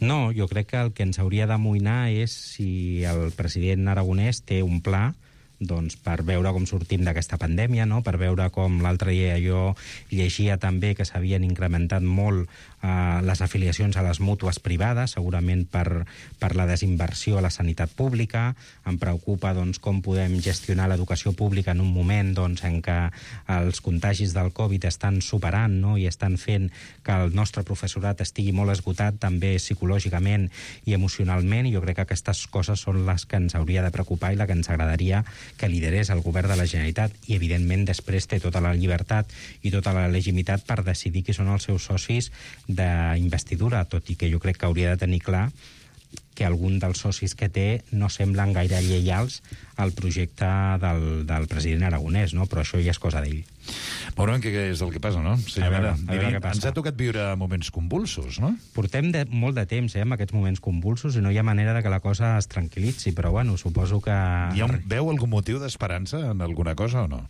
No, jo crec que el que ens hauria d'amoïnar és si el president Aragonès té un pla doncs per veure com sortim d'aquesta pandèmia, no? Per veure com l'altre dia jo llegia també que s'havien incrementat molt eh, les afiliacions a les mútues privades, segurament per, per la desinversió a la sanitat pública. Em preocupa doncs, com podem gestionar l'educació pública en un moment doncs, en què els contagis del Covid estan superant, no? I estan fent que el nostre professorat estigui molt esgotat també psicològicament i emocionalment, i jo crec que aquestes coses són les que ens hauria de preocupar i la que ens agradaria que liderés el govern de la Generalitat, i evidentment després té tota la llibertat i tota la legitimitat per decidir qui són els seus socis d'investidura, tot i que jo crec que hauria de tenir clar que algun dels socis que té no semblen gaire lleials al projecte del, del president Aragonès, no? Però això ja és cosa d'ell. Veurem què és el que passa, no? Sí, a veure, a veure què passa. Ens ha tocat viure moments convulsos, no? Portem de, molt de temps eh, amb aquests moments convulsos i no hi ha manera de que la cosa es tranquil·litzi, però bueno, suposo que... Hi ha un, veu algun motiu d'esperança en alguna cosa o no?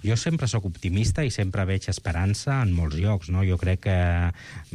Jo sempre sóc optimista i sempre veig esperança en molts llocs, no? Jo crec que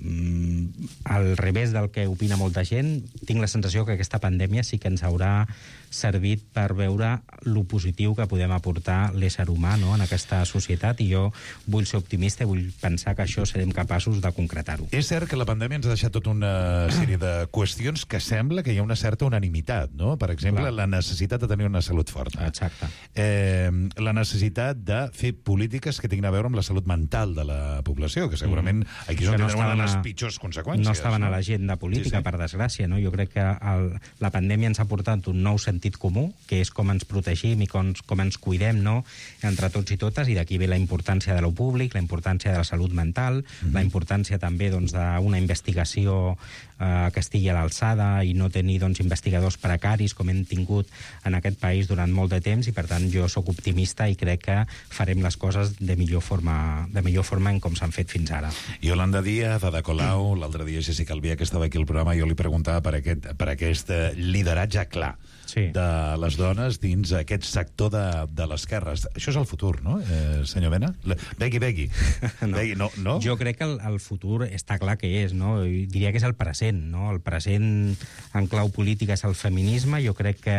mm, al revés del que opina molta gent, tinc la sensació que aquesta pandèmia sí que ens haurà servit per veure lo positiu que podem aportar l'ésser humà, no?, en aquesta societat, i jo vull ser optimista i vull pensar que això serem capaços de concretar-ho. És cert que la pandèmia ens ha deixat tota una sèrie de qüestions que sembla que hi ha una certa unanimitat, no? Per exemple, Clar. la necessitat de tenir una salut forta. Exacte. Eh, la necessitat de fer polítiques que tinguin a veure amb la salut mental de la població, que segurament mm. aquí és on no tenen una de les pitjors conseqüències. No estaven no? a l'agenda política, sí, sí. per desgràcia, no? Jo crec que el, la pandèmia ens ha portat un nou sentit comú, que és com ens protegim i com, com ens cuidem, no?, entre tots i totes, i d'aquí ve la importància de lo públic, la importància de la salut mental, mm-hmm. la importància també doncs, d'una investigació eh, que estigui a l'alçada i no tenir doncs, investigadors precaris com hem tingut en aquest país durant molt de temps, i per tant jo sóc optimista i crec que farem les coses de millor forma, de millor forma en com s'han fet fins ara. Yolanda Díaz, Ada Colau, l'altre dia Jessica Albiach, que estava aquí al programa, jo li preguntava per aquest, per aquest lideratge clar sí. de les dones dins aquest sector de, de l'esquerra. Això és el futur, no, eh, senyor Mena? Helena? Begui, begui. No. Begui, no, no? Jo crec que el, el futur està clar que és, no? I diria que és el present, no? El present en clau política és el feminisme. Jo crec que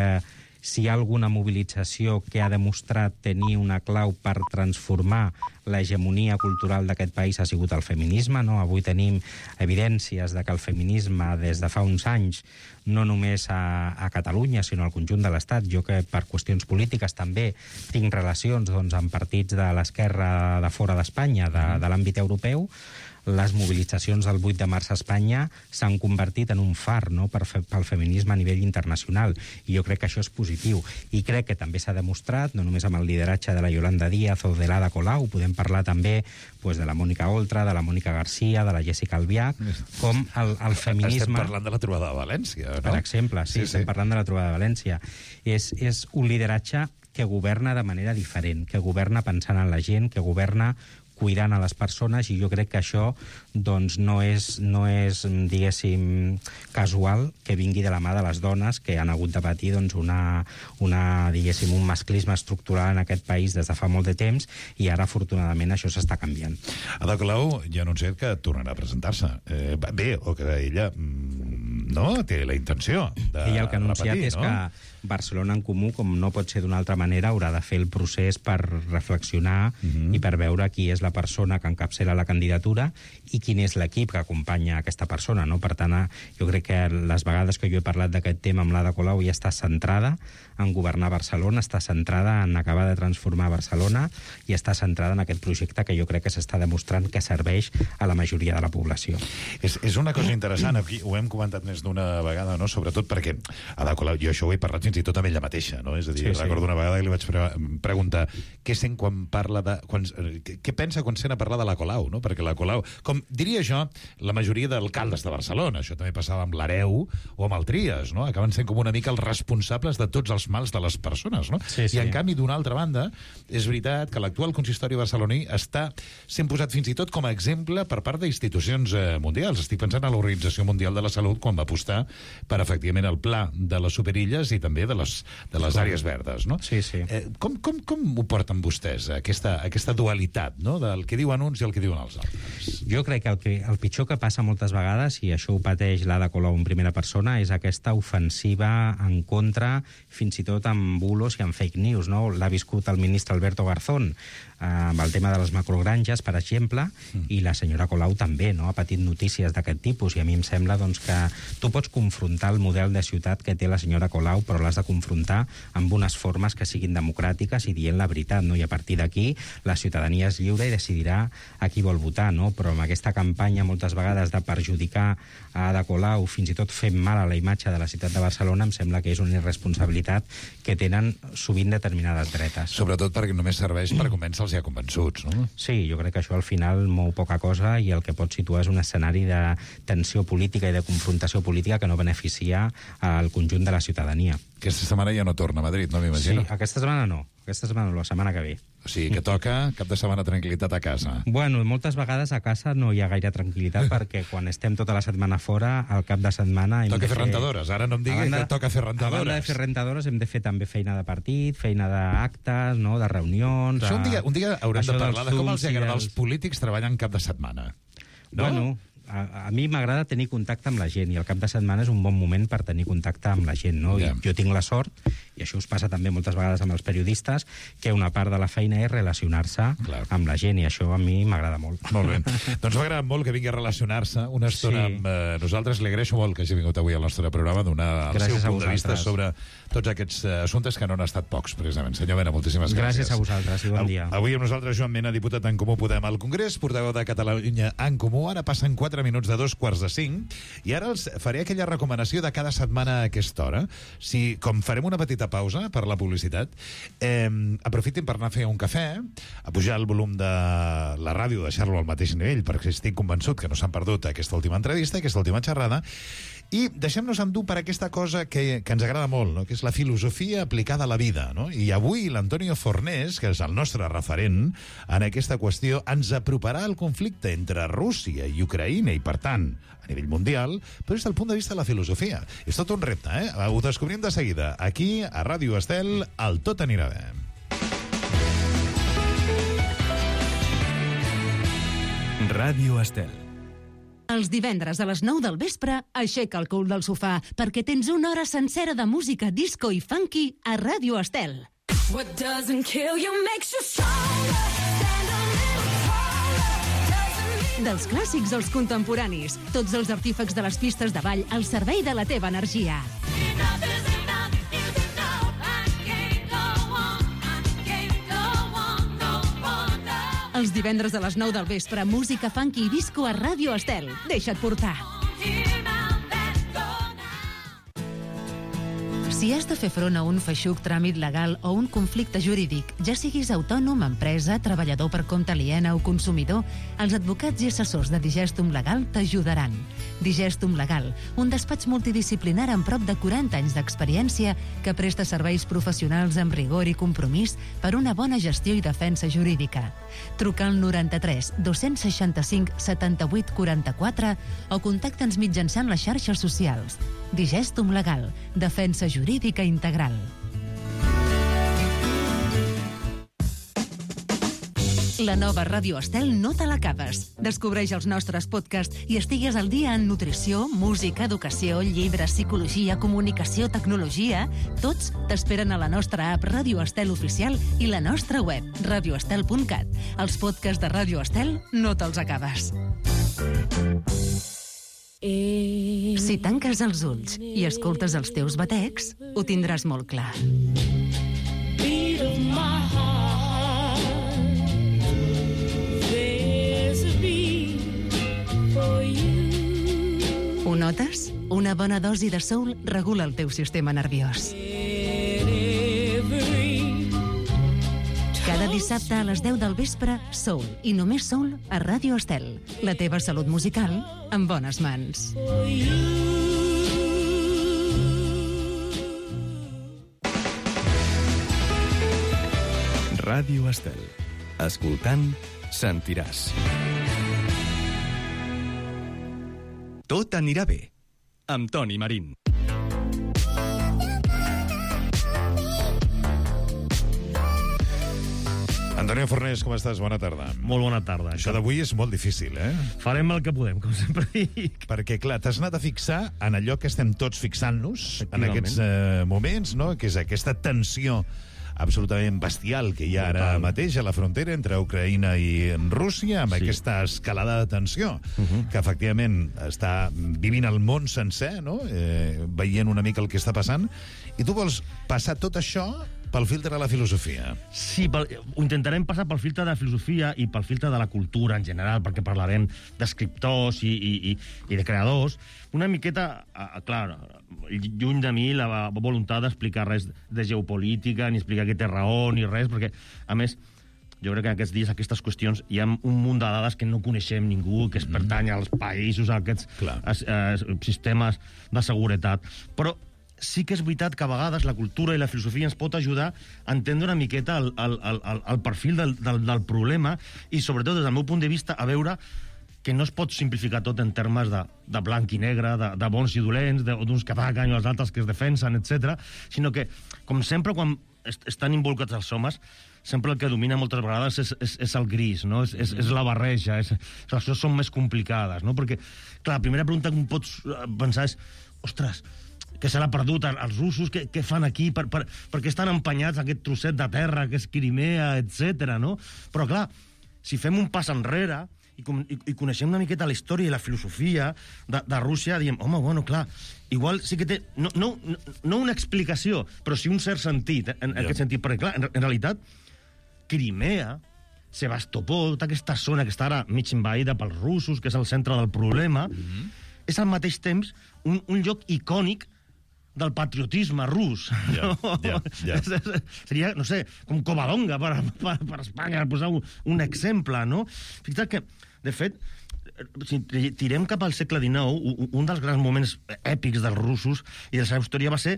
si hi ha alguna mobilització que ha demostrat tenir una clau per transformar l'hegemonia cultural d'aquest país ha sigut el feminisme, no? Avui tenim evidències de que el feminisme des de fa uns anys, no només a, a Catalunya, sinó al conjunt de l'Estat, jo que per qüestions polítiques també tinc relacions doncs, amb partits de l'esquerra de fora d'Espanya, de, de l'àmbit europeu, les mobilitzacions del vuit de març a Espanya s'han convertit en un far, no?, per fe, pel feminisme a nivell internacional. I jo crec que això és positiu. I crec que també s'ha demostrat, no només amb el lideratge de la Yolanda Díaz o de l'Ada Colau, podem parlar també pues, de la Mònica Oltra, de la Mònica Garcia, de la Jessica Albiach, com el, el feminisme... Estem parlant de la trobada de València, no? Per exemple, sí, sí, estem sí. parlant de la trobada de València. És, és un lideratge que governa de manera diferent, que governa pensant en la gent, que governa cuidant a les persones, i jo crec que això doncs, no és, no és, diguéssim, casual que vingui de la mà de les dones que han hagut de patir doncs, una, una, diguéssim, un masclisme estructural en aquest país des de fa molt de temps, i ara, afortunadament, això s'està canviant. Ada Colau ja ha anunciat que tornarà a presentar-se. Eh, bé, o que ella no té la intenció de ella el que ha anunciat repetir, és no? que Barcelona en Comú, com no pot ser d'una altra manera, haurà de fer el procés per reflexionar uh-huh. i per veure qui és la persona que encapçala la candidatura i quin és l'equip que acompanya aquesta persona, no? Per tant, jo crec que les vegades que jo he parlat d'aquest tema amb l'Ada Colau ja està centrada en governar Barcelona, està centrada en acabar de transformar Barcelona i està centrada en aquest projecte que jo crec que s'està demostrant que serveix a la majoria de la població. És, és una cosa interessant, aquí ho hem comentat més d'una vegada, no? Sobretot perquè Ada Colau, jo això ho he parlat fins i tot amb ella mateixa, no? És a dir, sí, recordo sí. una vegada que li vaig pre preguntar què sent quan parla de... Quan, què pensa quan sent a parlar de la Colau, no? Perquè la Colau, com diria jo, la majoria d'alcaldes de Barcelona, això també passava amb l'Hereu o amb el Trias, no? Acaben sent com una mica els responsables de tots els mals de les persones, no? Sí, sí. I en canvi, d'una altra banda, és veritat que l'actual consistori barceloní està sent posat fins i tot com a exemple per part d'institucions eh, mundials. Estic pensant en l'Organització Mundial de la Salut quan va apostar per, efectivament, el pla de les superilles i també de les, de les àrees verdes, no? Sí, sí. Eh, com, com, com ho porten vostès, aquesta, aquesta dualitat, no?, del que diuen uns i el que diuen els altres? Jo crec que el, que el pitjor que passa moltes vegades, i això ho pateix l'Ada Colau en primera persona, és aquesta ofensiva en contra, fins i tot amb bulos i amb fake news, no? L'ha viscut el ministre Alberto Garzón eh, amb el tema de les macrogranges, per exemple, mm. i la senyora Colau també, no? Ha patit notícies d'aquest tipus, i a mi em sembla doncs, que tu pots confrontar el model de ciutat que té la senyora Colau, però l'has de confrontar amb unes formes que siguin democràtiques i dient la veritat, no? I a partir d'aquí la ciutadania és lliure i decidirà a qui vol votar, no? Però amb aquesta campanya moltes vegades de perjudicar a Ada Colau, fins i tot fent mal a la imatge de la ciutat de Barcelona, em sembla que és una irresponsabilitat que tenen sovint determinades dretes. Sobretot perquè només serveix per convèncer els ja convençuts, no? Sí, jo crec que això al final mou poca cosa i el que pot situar és un escenari de tensió política i de confrontació política que no beneficia al conjunt de la ciutadania. Aquesta setmana ja no torna a Madrid, no m'imagino? Sí, aquesta setmana no. Aquesta setmana no, la setmana que ve. O sigui, que toca cap de setmana tranquil·litat a casa. Bueno, moltes vegades a casa no hi ha gaire tranquil·litat perquè quan estem tota la setmana fora, al cap de setmana... Toca de fer rentadores. Ara no em digui banda, que toca fer rentadores. A banda de fer rentadores hem de fer també feina de partit, feina d'actes, no?, de reunions... Això un dia, un dia haurem de parlar de com els agrada dels... als polítics treballant cap de setmana. No? Bueno... A, a mi m'agrada tenir contacte amb la gent i el cap de setmana és un bon moment per tenir contacte amb la gent, no? Yeah. I jo tinc la sort, i això us passa també moltes vegades amb els periodistes, que una part de la feina és relacionar-se amb la gent, i això a mi m'agrada molt. Molt bé. Doncs m'agrada molt que vingui a relacionar-se una estona sí. amb eh, nosaltres. Li agraeixo molt que hagi vingut avui al nostre programa, donar el seu punt de vista sobre tots aquests uh, assumptes que no han estat pocs, precisament. Senyor Mena, moltíssimes gràcies. Gràcies a vosaltres i bon dia. Avui amb nosaltres Joan Mena, diputat en Comú Podem al Congrés, portaveu de Catalunya en Comú. Ara passen quatre minuts de dos quarts de cinc, i ara els faré aquella recomanació de cada setmana a aquesta hora. Si, com farem una petita pausa per la publicitat, eh, aprofitin per anar a fer un cafè, a pujar el volum de la ràdio, deixar-lo al mateix nivell, perquè estic convençut que no s'han perdut aquesta última entrevista, aquesta última xerrada, i deixem-nos endur per aquesta cosa que, que ens agrada molt, no?, que és la filosofia aplicada a la vida, no? I avui l'Antonio Fornés, que és el nostre referent en aquesta qüestió, ens aproparà al conflicte entre Rússia i Ucraïna, i per tant, a nivell mundial, però des del punt de vista de la filosofia. És tot un repte, eh? Ho descobrim de seguida, aquí, a Ràdio Estel, al Tot anirà bé. Ràdio Estel. Els divendres a les nou del vespre, aixeca el cul del sofà, perquè tens una hora sencera de música disco i funky a Ràdio Estel. What doesn't kill you makes you stronger. Stand a little taller. Dels clàssics als contemporanis, tots els artífecs de les pistes de ball al servei de la teva energia. Enough is enough is enough. I can't go on, I can't go on no more now. Els divendres a les nou del vespre, música funky i disco a Ràdio Estel. Deixa't portar. Si has de fer front a un feixuc tràmit legal o un conflicte jurídic, ja siguis autònom, empresa, treballador per compte aliena o consumidor, els advocats i assessors de Digestum Legal t'ajudaran. Digestum Legal, un despatx multidisciplinar amb prop de quaranta anys d'experiència que presta serveis professionals amb rigor i compromís per una bona gestió i defensa jurídica. Truca al noranta-tres dos-cents seixanta-cinc setanta-vuit quaranta-quatre o contacta'ns mitjançant les xarxes socials. Digestum Legal, defensa jurídica integral. La nova Ràdio Estel no te l'acabes. Descobreix els nostres podcasts i estigues al dia en nutrició, música, educació, llibres, psicologia, comunicació, tecnologia. Tots t'esperen a la nostra app Ràdio Estel Oficial i la nostra web, radio estel punt cat. Els podcasts de Ràdio Estel no te'ls acabes. Si tanques els ulls i escoltes els teus batecs, ho tindràs molt clar. Ho notes? Una bona dosi de soul regula el teu sistema nerviós. Cada dissabte a les deu del vespre, Soul, i només Soul a Ràdio Estel. La teva salut musical en bones mans. Ràdio Estel. Escoltant, sentiràs. Tot anirà bé. Amb Toni Marín. Antonio Fornés, com estàs? Bona tarda. Molt bona tarda. Això d'avui és molt difícil, eh? Farem el que podem, com sempre dic. Perquè, clar, t'has anat a fixar en allò que estem tots fixant-nos en aquests eh, moments, no? Que és aquesta tensió absolutament bestial que hi ha ara mateix a la frontera entre Ucraïna i Rússia, amb sí. aquesta escalada de tensió, uh -huh. que efectivament està vivint el món sencer, no? Eh, veient una mica el que està passant, i tu vols passar tot això pel filtre de la filosofia. Sí, pel, ho intentarem passar pel filtre de la filosofia i pel filtre de la cultura en general, perquè parlarem d'escriptors i, i, i, i de creadors. Una miqueta, a, clar, lluny de mi la voluntat d'explicar res de geopolítica, ni explicar que té raó, ni res, perquè, a més, jo crec que en aquests dies, aquestes qüestions, hi ha un munt de dades que no coneixem ningú, que es pertany als països, a aquests eh, sistemes de seguretat. Però sí que és veritat que a vegades la cultura i la filosofia ens pot ajudar a entendre una miqueta el, el, el, el perfil del, del, del problema i, sobretot, des del meu punt de vista, a veure que no es pot simplificar tot en termes de, de blanc i negre, de, de bons i dolents, d'uns que ataquen i els altres que es defensen, etcètera, sinó que, com sempre, quan est estan involucrats els homes, sempre el que domina moltes vegades és, és, és el gris, no? És, és, és la barreja, és, les coses són més complicades, no? Perquè, clar, la primera pregunta que em pots pensar és, ostres, que se l'ha perdut als russos, què, què fan aquí, per, per, per què estan empenyats aquest trosset de terra que és Crimea, etcètera, no? Però, clar, si fem un pas enrere i, i, i coneixem una miqueta la història i la filosofia de, de Rússia, diem, home, bueno, clar, igual sí que té, no, no, no una explicació, però sí un cert sentit, en, en yeah. aquest sentit, perquè, clar, en, en realitat, Crimea, Sebastopol, tota aquesta zona que està ara mig envaïda pels russos, que és el centre del problema, mm-hmm. és al mateix temps un, un lloc icònic del patriotisme rus. Yeah, yeah, yeah. Seria, no sé, com Covadonga per, per, per Espanya, per posar un, un exemple, no? Fixa't que, de fet, si tirem cap al segle dinou, un dels grans moments èpics dels russos i de la seva història va ser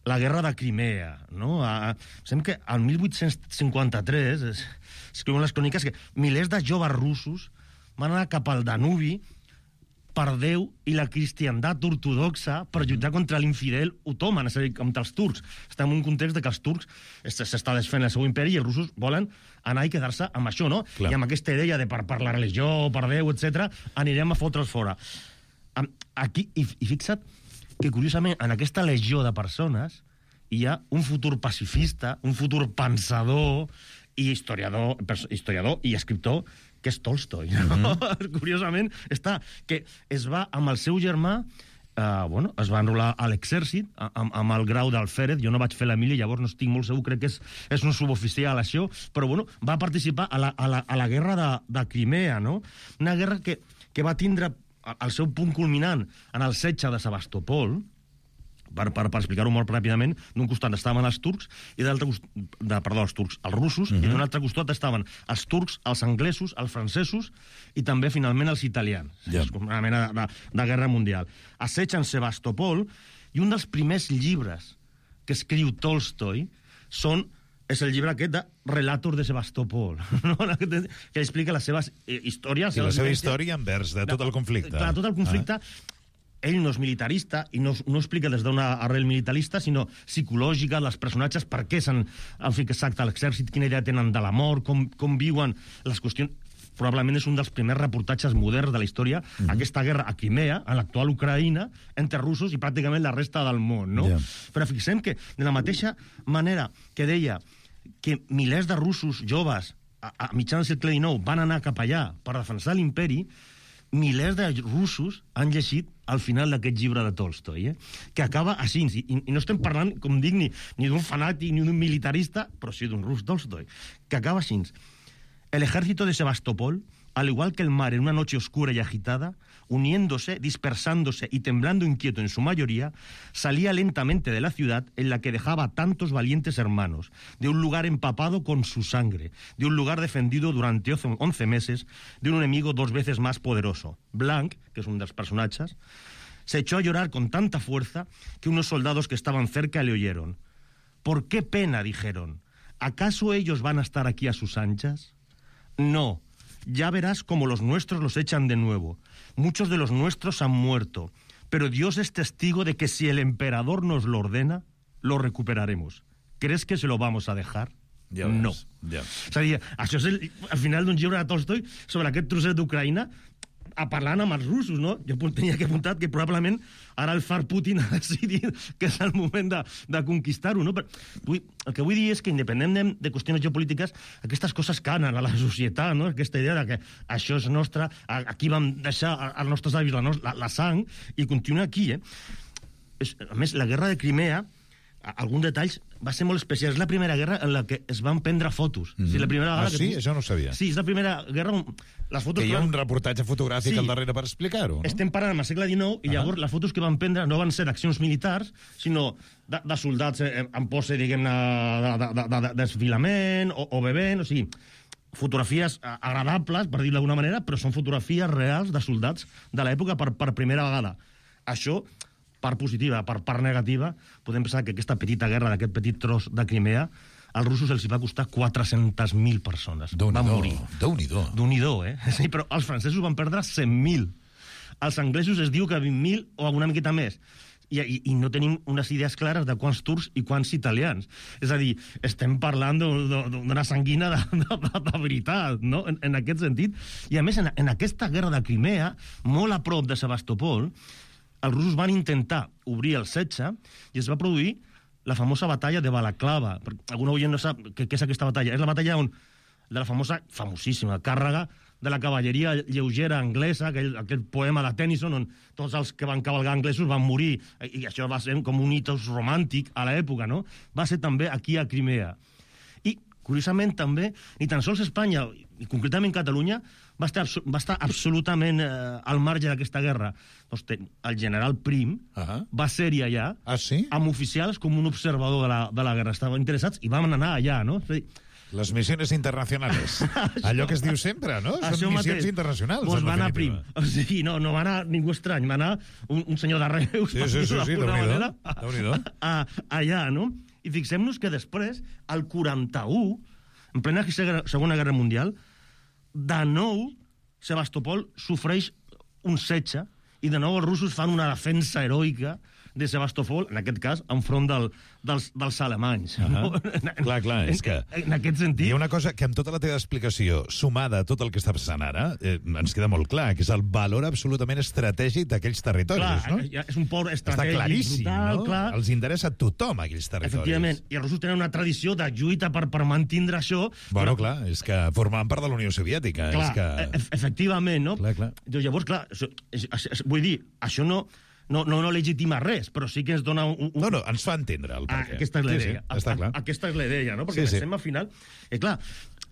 la guerra de Crimea, no? A, sembla que al mil vuit-cents cinquanta-tres es, escriuen les cròniques que milers de joves russos van anar cap al Danubi per Déu i la cristiandat ortodoxa per lluitar contra l'infidel otoman, és a dir, contra els turcs. Estem en un context de que els turcs s'està desfent el seu imperi i els russos volen anar i quedar-se amb això, no? Clar. I amb aquesta idea de per, per la religió, per Déu, etcètera, anirem a fotre'ls fora. Aquí, i, i fixa't que, curiosament, en aquesta legió de persones hi ha un futur pacifista, un futur pensador i historiador, historiador i escriptor que és Tolstoi. No? Mm-hmm. Curiosament, està que es va amb el seu germà, eh, bueno, es va enrolar a l'exèrcit, amb, amb el grau d'alférez. Jo no vaig fer la mili, llavors no estic molt segur, crec que és, és un suboficial, això, però bueno, va participar a la, a la, a la guerra de, de Crimea, no? Una guerra que, que va tindre el seu punt culminant en el setge de Sebastopol, per, per, per explicar-ho molt ràpidament. D'un costat estaven els turcs, i d'altre costat, de, perdó, els turcs, els russos, uh-huh. i d'un altre costat estaven els turcs, els anglesos, els francesos, i també, finalment, els italians. Yeah. És com una mena de, de, de guerra mundial. Assetgen Sebastopol, i un dels primers llibres que escriu Tolstoi són és el llibre aquest de Relatos de Sebastopol, no? Que explica les seves eh, històries. I la seva història envers de tot el conflicte. Clar, tot el conflicte. Ah. Ell no és militarista i no, no explica des d'una arrel militarista, sinó psicològica, dels personatges, per què s'han fixat a l'exèrcit, quina idea tenen de la mort, com, com viuen les qüestions. Probablement és un dels primers reportatges moderns de la història, mm-hmm. aquesta guerra a Crimea, a l'actual Ucraïna, entre russos i pràcticament la resta del món, no? Yeah. Però fixem que, de la mateixa manera que deia que milers de russos joves a, a mitjan del segle dinou van anar cap allà per defensar l'imperi, milers de russos han llegit al final d'aquest llibre de Tolstoi, eh? Que acaba així, i, i no estem parlant, com dic, ni, ni d'un fanàtic ni d'un militarista, però sí d'un rus Tolstoi, que acaba així. El ejército de Sebastopol, al igual que el mar en una noche oscura y agitada, uniéndose, dispersándose y temblando inquieto en su mayoría, salía lentamente de la ciudad en la que dejaba a tantos valientes hermanos, de un lugar empapado con su sangre, de un lugar defendido durante once meses, de un enemigo dos veces más poderoso. Blanc, que es un de los personajes, se echó a llorar con tanta fuerza que unos soldados que estaban cerca le oyeron. ¿Por qué pena?, dijeron. ¿Acaso ellos van a estar aquí a sus anchas? No. Ya verás cómo los nuestros los echan de nuevo. Muchos de los nuestros han muerto, pero Dios es testigo de que si el emperador nos lo ordena, lo recuperaremos. ¿Crees que se lo vamos a dejar? Ja no. Ja. És a dir, això és el, al final d'un llibre de Tolstoi sobre aquest trosset d'Ucraïna, a parlant amb els russos, no? Jo tenia que apuntar que probablement ara el far Putin ha decidit que és el moment de, de conquistar-ho, no? Però, vull, el que vull dir és que, independent de, de qüestions geopolítiques, aquestes coses canen a la societat, no? Aquesta idea de que això és nostre, aquí vam deixar als nostres avis la, la, la sang, i continua aquí, eh? És, a més, la guerra de Crimea, alguns detalls, va ser molt especial. És la primera guerra en la que es van prendre fotos. Mm-hmm. O sigui, la primera ah, sí? que... Això no ho sabia. Sí, és la primera guerra on les fotos... Que hi ha un reportatge fotogràfic sí. al darrere per explicar-ho, no? Estem parlant al segle dinou i llavors uh-huh. les fotos que van prendre no van ser d'accions militars, sinó de, de soldats en posse, diguem-ne, de, de, de, de, desfilament o, o bevent, o sigui, fotografies agradables, per dir-ho d'alguna manera, però són fotografies reals de soldats de l'època per, per primera vegada. Això... part positiva, per part negativa, podem pensar que aquesta petita guerra d'aquest petit tros de Crimea, als russos els va costar quatre-centes mil persones. Van morir. Déu-n'hi-do. Déu-n'hi-do, eh? Sí, però els francesos van perdre cent mil. Els anglesos es diu que vint mil o alguna miqueta més. I, i, i no tenim unes idees clares de quants turcs i quants italians. És a dir, estem parlant d'una sanguina de, de, de, de veritat, no? En, en aquest sentit. I a més, en, en aquesta guerra de Crimea, molt a prop de Sebastopol, els russos van intentar obrir el setge i es va produir la famosa batalla de Balaclava. Algun oient no sap què és aquesta batalla. És la batalla on, de la famosa, famosíssima, càrrega de la cavalleria lleugera anglesa, aquell, aquell poema de Tennyson, on tots els que van cavalgar anglesos van morir, i això va ser com un hitos romàntic a l'època, no? Va ser també aquí a Crimea. I, curiosament, també, ni tan sols Espanya, i concretament Catalunya, va estar, va estar absolutament eh, al marge d'aquesta guerra. Doncs el general Prim uh-huh. va ser-hi allà, ah, sí? amb oficials com un observador de la, de la guerra. Estaven interessats i vam anar allà, no? És a dir, les missions internacionals. Allò que es diu sempre, no? Són això missions mateix. Internacionals. Doncs va anar Prim. O sigui, no, no va anar ningú estrany, va anar un, un senyor de Reus, sí, sí, sí, sí, manera, Déu-n'hi-do. a, allà, no? I fixem-nos que després, al quaranta-u, en plena Segona Guerra Mundial, de nou, Sebastopol sofreix un setge i de nou els russos fan una defensa heroica de Sebastopol, en aquest cas, enfront del, dels, dels alemanys. Uh -huh. No? Clar, clar, és que... En, en aquest sentit... Hi ha una cosa que amb tota la teva explicació, sumada a tot el que està passant ara, eh, ens queda molt clar, que és el valor absolutament estratègic d'aquells territoris, clar, no? És un port estratègic. Està claríssim, brutal, no? Clar. Els interessa a tothom, aquells territoris. Efectivament, i els russos tenen una tradició de lluita per, per mantindre això. Bueno, però... clar, és que formaven part de la Unió Soviètica. Clar, és que... e efectivament, no? Clar, clar. Llavors, clar, això, és, és, és, vull dir, això no... No, no, no legitima res, però sí que ens dona un... un... No, no, ens fa entendre el ah, perquè. aquesta és la sí, idea. sí, està clar. A, aquesta és la idea, no? Perquè Sí, sí. pensem al final... Eh, clar,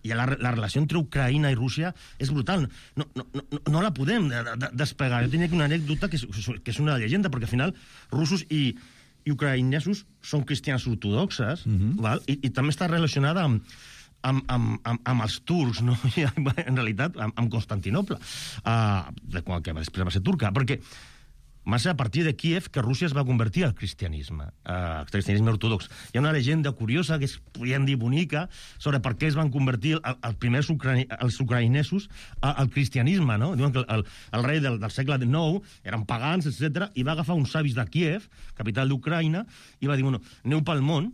i la, la relació entre Ucraïna i Rússia és brutal. No, no, no, no la podem de, de, despegar. Jo tenia una anècdota que és, que és una llegenda, perquè al final russos i, i ucraïnesos són cristians ortodoxes, Mhm. val? I, i també està relacionada amb, amb, amb, amb, amb els turcs, no? I, en realitat, amb, amb Constantinople, uh, de quan que després va ser turca, perquè va ser a partir de Kíev que Rússia es va convertir al cristianisme, eh, al cristianisme ortodox. Hi ha una llegenda curiosa, que es podríem dir bonica, sobre per què es van convertir el, els primers ucraï, els ucraïnesos a, al cristianisme, no? Diuen que el, el rei del, del segle nou eren pagans, etcètera, i va agafar uns savis de Kíev, capital d'Ucraïna, i va dir, bueno, aneu pel món,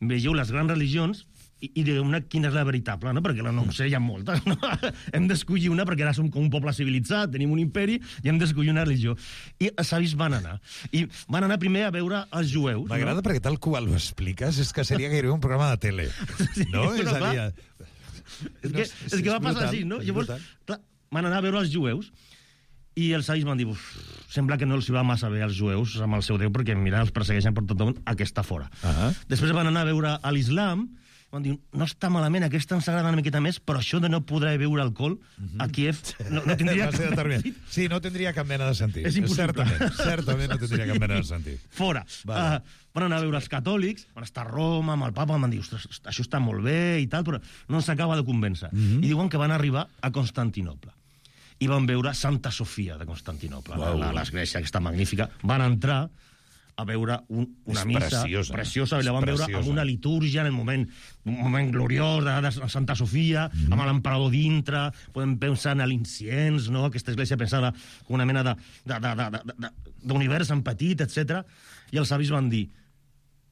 vegeu les grans religions, i, i digueu-ne quina és la veritable, no? Perquè no sé, hi ha moltes, no? Hem d'escollir una, perquè ara som com un poble civilitzat, tenim un imperi, i hem d'escollir una religió. I els savis van anar. I van anar primer a veure els jueus. M'agrada, no? Perquè tal qual ho expliques, és que seria gairebé un programa de tele. Sí, no? però És a clar, dir... És que, és que va passar així, no? Llavors, clar, van anar a veure els jueus, i els savis van dir, uf, sembla que no els hi va massa bé als jueus amb el seu Déu, perquè, mira, els persegueixen per tot el món, aquesta fora. Uh -huh. Després van anar a veure a l'islam, van dir, no està malament, aquesta ens agrada una miqueta més, però això de no poder beure alcohol a Kíev no, no tindria... Va ser determinant. Sí, no tindria cap mena de sentit. És impossible. Certament, certament no tindria Sí. cap mena de sentit. Fora. Vale. Uh, van anar a veure els catòlics, van estar a Roma, amb el papa, van dir, ostres, això està molt bé i tal, però no ens acaba de convèncer. Mm -hmm. I diuen que van arribar a Constantinople. I van veure Santa Sofia de Constantinople, wow. l'església aquesta magnífica. Van entrar a veure un, una és missa preciosa, preciosa, i la van preciosa. veure amb una litúrgia en el moment, un moment gloriós de, de Santa Sofia, mm. amb l'emperador dintre, podem pensar en l'inciens, no? Aquesta església pensada com una mena d'univers en petit, etcètera. I els savis van dir,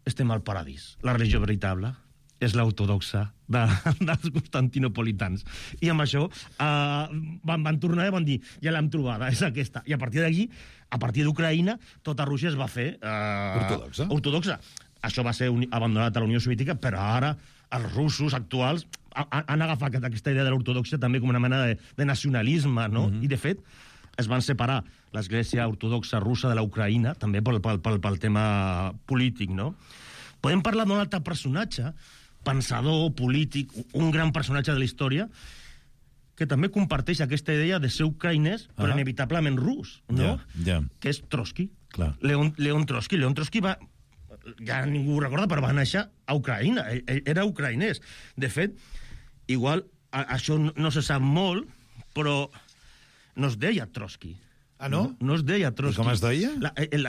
estem al paradís, la religió veritable és l'ortodoxa de, dels constantinopolitans. I amb això eh, van, van tornar i van dir, ja l'hem trobada, és aquesta. I a partir d'allí, a partir d'Ucraïna, tota Rússia es va fer... Eh, ortodoxa. Ortodoxa. Això va ser un, abandonat a la Unió Soviètica, però ara els russos actuals han, han agafat aquesta idea de l'ortodoxa també com una mena de, de nacionalisme, no? Mm-hmm. I, de fet, es van separar l'església ortodoxa russa de l'Ucraïna, també pel, pel, pel, pel tema polític, no? Podem parlar d'un altre personatge, pensador, polític, un gran personatge de la història, que també comparteix aquesta idea de ser ucraïnès, però ah. inevitablement rus, no? Yeah, yeah. Que és Trotsky. Clar. Leon, Leon Trotsky. Leon Trotsky va... Ja ningú ho recorda, però va néixer a Ucraïna. Ell, ell era ucraïnès. De fet, igual, a, això no, no se sap molt, però no es deia Trotsky. Ah, no? No, no es deia Trotsky. I com es deia?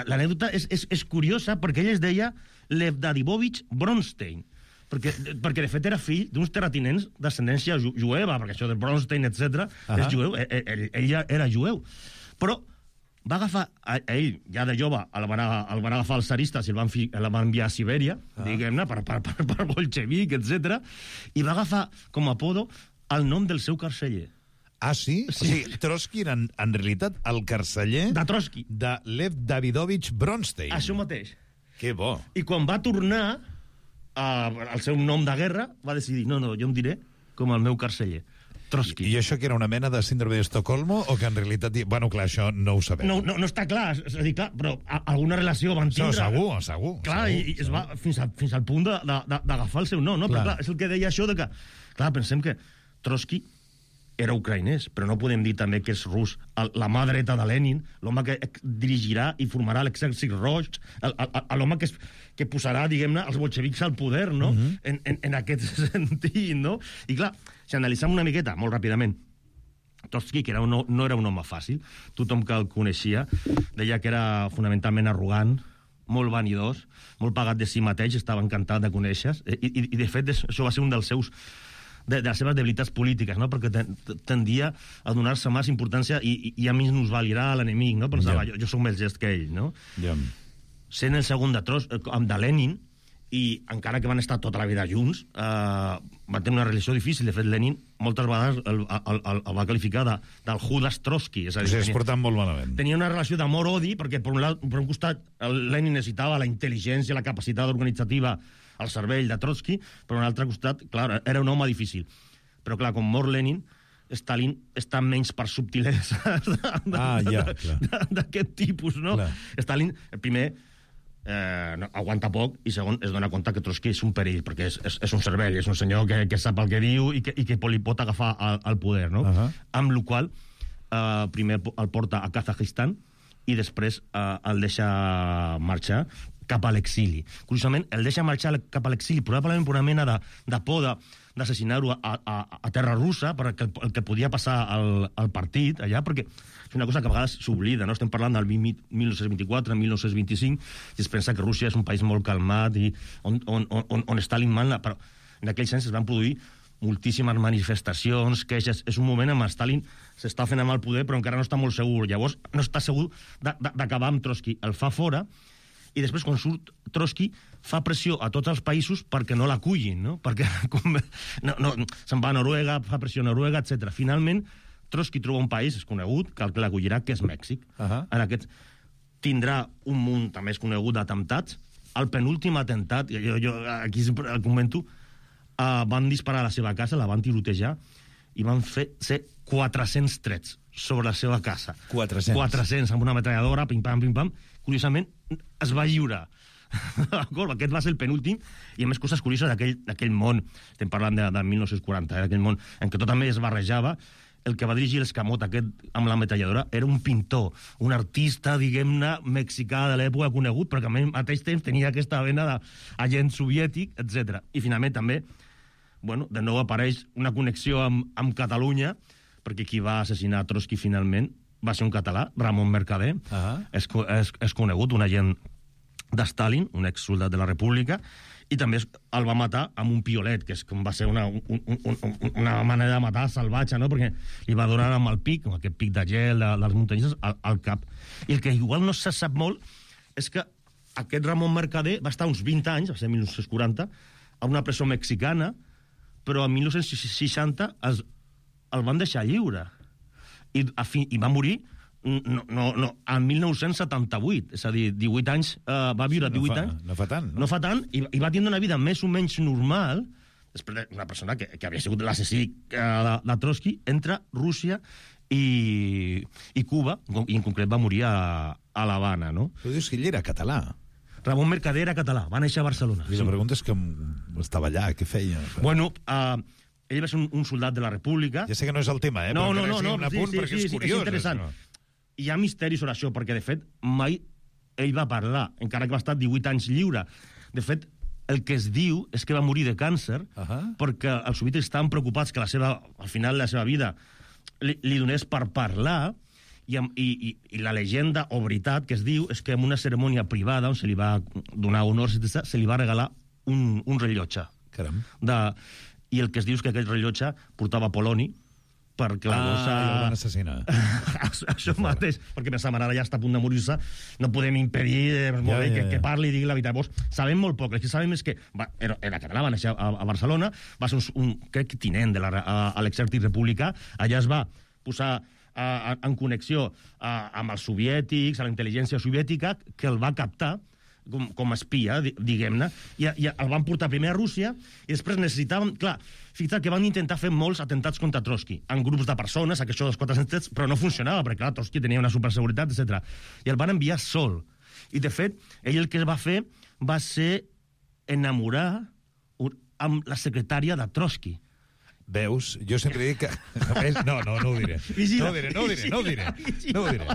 L'anècdota és, és, és curiosa, perquè ell es deia Lev Dadivovich Bronstein, perquè, perquè de fet era fill d'uns terratinents d'ascendència ju jueva, perquè això de Bronstein, etcètera, és jueu, ell, ell, ell ja era jueu. Però va agafar, a, a ell, ja de jove, el van, a, el van agafar els zaristes i el van, fi, el van enviar a Sibèria, ah. diguem-ne, per, per, per, per bolxevic, etcètera, i va agafar com a apodo el nom del seu carceller. Ah, sí? sí. O sigui, Trotsky era, en, en realitat, el carceller... De Trotsky. De Lev Davidovich Bronstein. Això mateix. Que bo. I quan va tornar uh, el seu nom de guerra, va decidir, no, no, jo em diré com el meu carceller. Trotsky. I això que era una mena de síndrome d'Estocolmo o que en realitat... Bueno, clar, això no ho sabem. No, no, no està clar, és a dir, clar, però a, alguna relació van tindre... No, segur, segur. Clar, segur, i, i es va fins, a, fins al punt d'agafar el seu nom, no? Clar. Però clar, és el que deia això de que... Clar, pensem que Trotsky era ucraïnès, però no podem dir també que és rus. La mà dreta de Lenin, l'home que dirigirà i formarà l'exèrcit roig, l'home que, es, que posarà, diguem-ne, els bolxevics al poder, no? Uh-huh. en, en, en aquest sentit, no? I clar, si analitzem una miqueta, molt ràpidament, Trotsky, que era un, no era un home fàcil, tothom que el coneixia, deia que era fonamentalment arrogant, molt vanidós, molt pagat de si mateix, estava encantat de conèixer, i, i, i de fet això va ser un dels seus de, de les seves debilitats polítiques, no? Perquè ten, tendia a donar-se més importància i, i, i a mi nos valirà a l'enemic, no? Pensava, yeah. jo, jo soc més gest que ell, no? Yeah. Sent el segon de Tros, amb de Lenin, i encara que van estar tota la vida junts, eh, van tenir una relació difícil. De fet, Lenin moltes vegades el, el, el, el va qualificar de, del Judas Trotsky. És a dir, o sigui, es tenia, portaven molt malament. Tenia una relació d'amor-odi, perquè per un, per un costat el Lenin necessitava la intel·ligència, la capacitat organitzativa al cervell de Trotsky, per un altre costat, clar, era un home difícil. Però clar, com mor Lenin, Stalin està menys per subtileses ah, ja, d'aquest tipus, no? Clar. Stalin, primer, eh, no, aguanta poc, i segon, es dona compte que Trotsky és un perill, perquè és, és, és un cervell, és un senyor que, que sap el que diu i que, i que li pot agafar al, al poder, no? Uh -huh. Amb la qual eh, primer el porta a Kazajistan i després eh, el deixa marxar cap a l'exili. Curiosament, el deixa marxar cap a l'exili probablement per una mena de, de por d'assassinar-ho a, a, a terra russa, perquè el, el que podia passar al, al partit allà, perquè és una cosa que a vegades s'oblida, no? Estem parlant del mil nou-cents vint-i-quatre, mil nou-cents vint-i-cinc, i es pensa que Rússia és un país molt calmat i on, on, on, on Stalin mana, però en aquell sens es van produir moltíssimes manifestacions, queixes. És un moment en què Stalin s'està fent amb el poder, però encara no està molt segur. Llavors, no està segur d'acabar amb Trotsky. El fa fora, i després, quan surt Trotsky, fa pressió a tots els països perquè no l'acullin, no? Perquè no, no, se'n va a Noruega, fa pressió a Noruega, etcètera. Finalment, Trotsky troba un país, és conegut, que el que l'acollirà, que és Mèxic. Uh -huh. En aquest tindrà un munt també és conegut d'atemptats. El penúltim atemptat, jo, jo aquí el comento, uh, van disparar a la seva casa, la van tirotejar, i van fer ser quatre-cents trets sobre la seva casa. quatre-cents? quatre-cents, amb una metralladora, pim-pam, pim-pam. Curiosament, es va lliurar. D'acord? Aquest va ser el penúltim, i a més coses curioses d'aquell món, estem parlant de, de mil nou-cents quaranta, eh, d'aquell món en què tot també es barrejava. El que va dirigir l'escamot aquest amb la metralladora era un pintor, un artista, diguem-ne, mexicà de l'època conegut, però que al mateix temps tenia aquesta vena d'agent soviètic, etcètera. I finalment també, bueno, de nou apareix una connexió amb, amb Catalunya, perquè qui va assassinar Trotsky finalment va ser un català, Ramon Mercader, uh -huh. és, és, és conegut, un agent de Stalin, un exsoldat de la República, i també el va matar amb un piolet, que és com va ser una, un, un, un, una manera de matar salvatge, no? Perquè li va donar amb el pic, amb aquest pic de gel de, de les muntanyes, al, al cap. I el que igual no se sap molt és que aquest Ramon Mercader va estar uns vint anys, va ser mil nou-cents quaranta, a una presó mexicana, però en mil nou-cents seixanta es, el van deixar lliure. I, a fi, i va morir no, no, no, en mil nou-cents setanta-vuit, és a dir, divuit anys, eh, va viure divuit no fa, anys. No fa tant, no? No fa tant, i, i va tenir una vida més o menys normal, després d'una persona que, que havia sigut l'assassí de, de Trotsky, entre Rússia i, i Cuba, i en concret va morir a, a l'Havana, no? Tu dius que ell era català. Ramon Mercader era català, va néixer a Barcelona. I la pregunta és que estava allà, què feia? Bueno, eh... Uh, ell va ser un, un soldat de la República. Ja sé que no és el tema, eh? No, però no, no, no, un apunt sí, sí, perquè sí, és curiós. És interessant. Això. Hi ha misteri sobre això, perquè, de fet, mai ell va parlar, encara que va estar divuit anys lliure. De fet, el que es diu és que va morir de càncer, uh -huh. perquè els soviètics estaven preocupats que la seva, al final de la seva vida li, li donés per parlar, i, i, i, i la llegenda o veritat que es diu és que en una cerimònia privada on se li va donar honors, se li va regalar un, un rellotge. Caram. De... I el que es diu és que aquest rellotge portava poloni, perquè la ah, gossa... Ah, i el van assassinar. Això mateix, perquè pensava, ara ja està a punt de morir-se, no podem impedir eh, ja, ja, ja. Que, que parli i digui la veritat. Vos, sabem molt poc, el que sabem és que va, era, era català, va néixer a, a Barcelona, va ser un, un crec, tinent de la, a, a l'exèrcit republicà, allà es va posar a, a, en connexió a, amb els soviètics, a la intel·ligència soviètica, que el va captar com, com a espia, diguem-ne, i, i el van portar primer a Rússia, i després necessitaven... Clar, fixa't que van intentar fer molts atentats contra Trotsky, en grups de persones, això dels quatre-cents, però no funcionava, perquè, clar, Trotsky tenia una superseguretat, etcètera. I el van enviar sol. I, de fet, ell el que va fer va ser enamorar amb la secretària de Trotsky. Veus? Jo sempre dic que... No, no, no ho diré. No ho diré, no ho diré, no ho diré. No ho diré.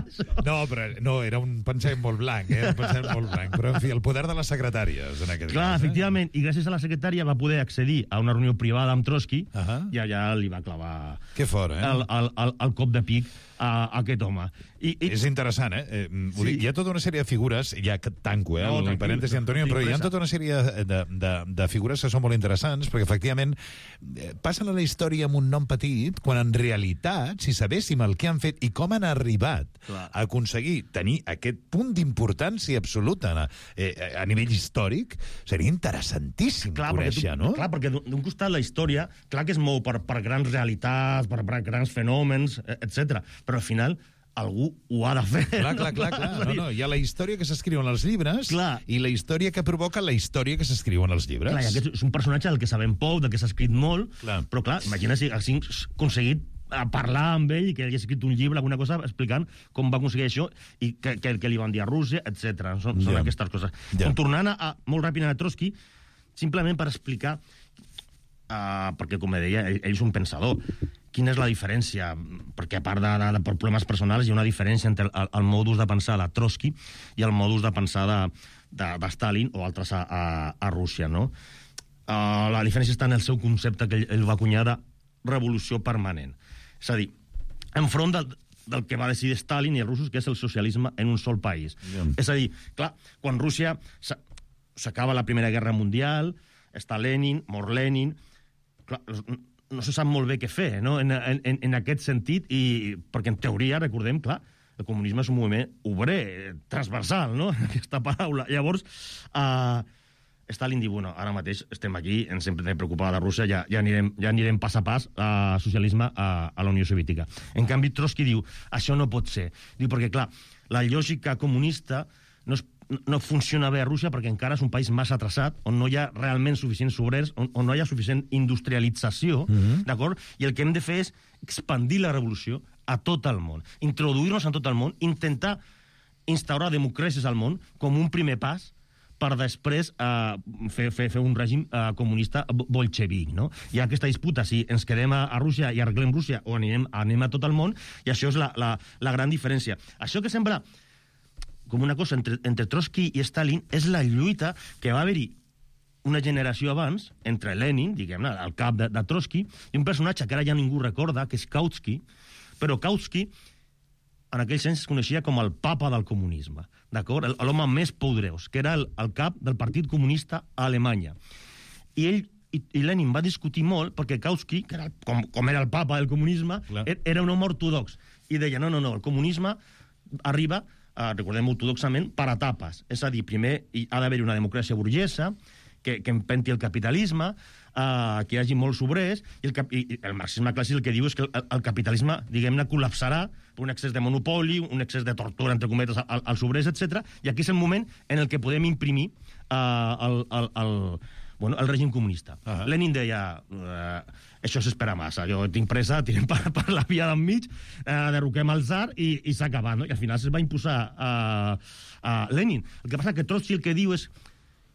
No, però no, era un pensament molt blanc, eh? Un pensament molt blanc. Però, en fi, el poder de les secretàries, en aquest Clar, cas. efectivament, i gràcies a la secretària va poder accedir a una reunió privada amb Trotsky, uh -huh. i allà li va clavar... Que fort, eh? El, el, el, el cop de pic a, a aquest home. I, i... És interessant, eh? eh vull Sí. dir, hi ha tota una sèrie de figures, ja que tanco, eh, No, el tranquil, parèntesi, Antonio, tinc però hi ha pressa. tota una sèrie de, de, de, de figures que són molt interessants, perquè efectivament eh, passen a la història amb un nom petit, quan en realitat, si sabéssim el que han fet i com han arribat Clar. a aconseguir tenir aquest punt d'importància absoluta eh, a nivell històric, seria interessantíssim Clar, perquè, conèixer, tu, no? clar, perquè d'un d'un costat la història, clar que es mou per, per grans realitats, per, per grans fenòmens, etcètera. Però al final algú ho ha de fer. Clar, clar, clar, clar. No, no, hi ha la història que s'escriu en els llibres Clar. i la història que provoca la història que s'escriu en els llibres. Clar, i aquest és un personatge del que sabem poc, del que s'ha escrit molt, Clar. però clar, imagina si haguessin aconseguit a parlar amb ell i que ell hagués escrit un llibre, alguna cosa, explicant com va aconseguir això i que, que, que li van dir a Rússia, etcètera. Són, són Ja. aquestes coses. Ja. Com tornant a, a, molt ràpid a Trotsky, simplement per explicar, uh, perquè, com deia, ell, ell és un pensador, quina és la diferència? Perquè a part de, de, de problemes personals hi ha una diferència entre el, el modus de pensar de Trotsky i el modus de pensar de, de, de Stalin o altres a, a, a Rússia, no? Uh, la diferència està en el seu concepte que ell, ell va acunyar de revolució permanent. És a dir, enfront del, del que va decidir Stalin i els russos, que és el socialisme en un sol país. Yeah. És a dir, clar, quan Rússia s'a- s'acaba la Primera Guerra Mundial, està Lenin, mor Lenin, clar, no se sap molt bé què fer, no?, en, en, en aquest sentit, i perquè en teoria, recordem, clar, el comunisme és un moviment obrer, transversal, no?, aquesta paraula. Llavors, uh, Stalin diu, bueno, ara mateix estem aquí, ens hem de preocupar de Rússia, ja, ja, anirem, ja anirem pas a pas a socialisme a, a la Unió Soviètica. En canvi, Trotsky diu, això no pot ser. Diu, perquè, clar, la lògica comunista no, es, no funciona bé a Rússia perquè encara és un país massa atrasat, on no hi ha realment suficients obrers, on, on no hi ha suficient industrialització, Mhm. d'acord? I el que hem de fer és expandir la revolució a tot el món, introduir-nos en tot el món, intentar instaurar democràcies al món com un primer pas per després eh, fer, fer, fer un règim eh, comunista bolxevic, no? Hi ha aquesta disputa, si ens quedem a, a Rússia i arreglem Rússia o anem, anem a tot el món, i això és la, la, la gran diferència. Això que sembla com una cosa entre, entre Trotsky i Stalin és la lluita que va haver-hi una generació abans, entre Lenin, diguem-ne, el cap de, de Trotsky, i un personatge que ara ja ningú recorda, que és Kautsky, però Kautsky en aquells anys es coneixia com el papa del comunisme, d'acord? L'home més poderós, que era el, el cap del Partit Comunista a Alemanya. I ell i, i Lenin va discutir molt perquè Kautsky, que era el, com, com era el papa del comunisme, Clar. era un home ortodox. I deia, no, no, no, el comunisme arriba, eh, recordem ortodoxament, per etapes. És a dir, primer hi ha d'haver una democràcia burgesa, que, que empenti el capitalisme, eh, que hi hagi molts obrers, i el, cap, i el marxisme clàssic el que diu és que el, el capitalisme, diguem-ne, col·lapsarà per un excés de monopoli, un excés de tortura, entre cometes, al, als obrers, etcètera. I aquí és el moment en el que podem imprimir eh, el, el, el, bueno, el règim comunista. Uh -huh. Lenin deia, eh, això s'espera massa, jo tinc pressa, tirem per, per la via d'enmig, eh, derroquem el tsar i, i s'ha acabat, no? I al final es va imposar a eh, eh, Lenin. El que passa que Trotsky el que diu és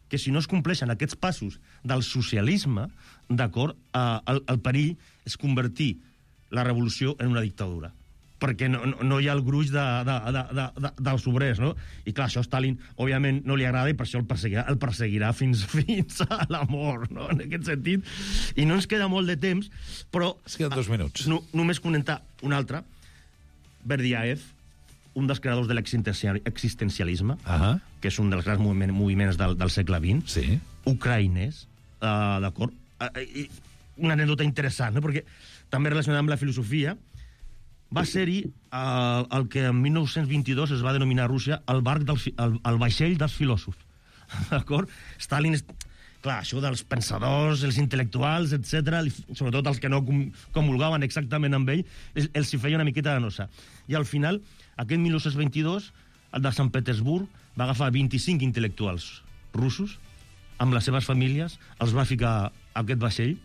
que si no es compleixen aquests passos del socialisme, d'acord, eh, el, el perill és convertir la revolució en una dictadura, perquè no, no, no hi ha el gruix de, de, de, de, de, dels obrers, no? I clar, això a Stalin, òbviament, no li agrada i per això el perseguirà, el perseguirà fins, fins a la mort, no?, en aquest sentit. I no ens queda molt de temps, però... Es queden dos minuts. No, només comentar un altre. Berdiaev, un dels creadors de l'existencialisme, uh -huh. que és un dels grans moviments, moviments del, del segle vint, sí. ucraïnès, uh, d'acord? Uh, i una anècdota interessant, no?, perquè també relacionada amb la filosofia, va ser-hi uh, el que en mil nou-cents vint-i-dos es va denominar a Rússia el, barc del, el, el vaixell dels filòsofs, d'acord? Stalin... És... Clar, això dels pensadors, els intel·lectuals, etcètera, sobretot els que no com, comulgaven exactament amb ell, els, els hi feia una miqueta de nosa. I al final, aquest mil nou-cents vint-i-dos, el de Sant Petersburg, va agafar vint-i-cinc intel·lectuals russos, amb les seves famílies, els va ficar a aquest vaixell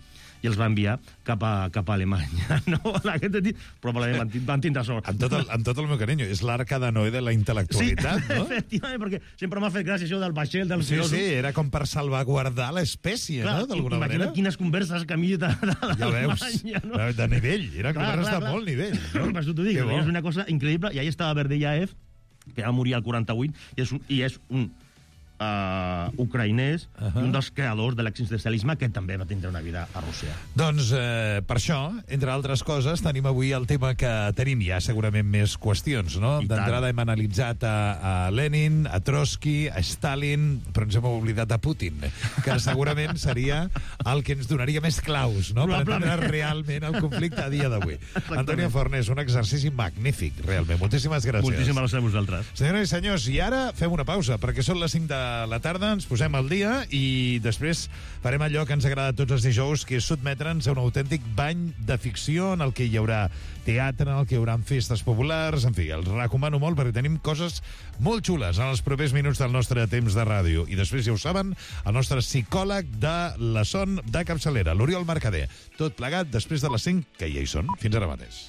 i els va enviar cap a, cap a Alemanya, no? En aquest sentit, probablement van, van tindre sort. Amb tot, el, amb tot el meu carinyo, és l'arca de Noé de la intel·lectualitat, sí, no? efectivament, perquè sempre m'ha fet gràcia això del vaixell, del Sí, filòsof. sí, era com per salvaguardar l'espècie, no?, d'alguna manera. Imagina't quines converses camí de, de, Ja veus, no? de nivell, era converses de molt nivell. No? Per això t'ho dic, Que bo. és una cosa increïble, i ahí estava Berdiaev, que va morir al quaranta-vuit, i és un, i és un uh, ucraïnès uh -huh. i un dels creadors de l'existencialisme que també va tindre una vida a Rússia. Doncs eh, per això, entre altres coses, tenim avui el tema que tenim ja segurament més qüestions, no? D'entrada hem analitzat a, a Lenin, a Trotsky, a Stalin, però ens hem oblidat a Putin, que segurament seria el que ens donaria més claus, no?, per entendre realment el conflicte a dia d'avui. Antonio Fornés, un exercici magnífic, realment. Moltíssimes gràcies. Moltíssimes gràcies a vosaltres. Senyores i senyors, i ara fem una pausa, perquè són les cinc de la tarda, ens posem al dia i després farem allò que ens agrada tots els dijous, que és sotmetre'ns a un autèntic bany de ficció en el que hi haurà teatre, en el que hi haurà festes populars, en fi, els recomano molt perquè tenim coses molt xules en els propers minuts del nostre temps de ràdio. I després, ja ho saben, el nostre psicòleg de la son de capçalera, l'Oriol Mercader. Tot plegat després de les cinc, que ja hi són. Fins ara mateix.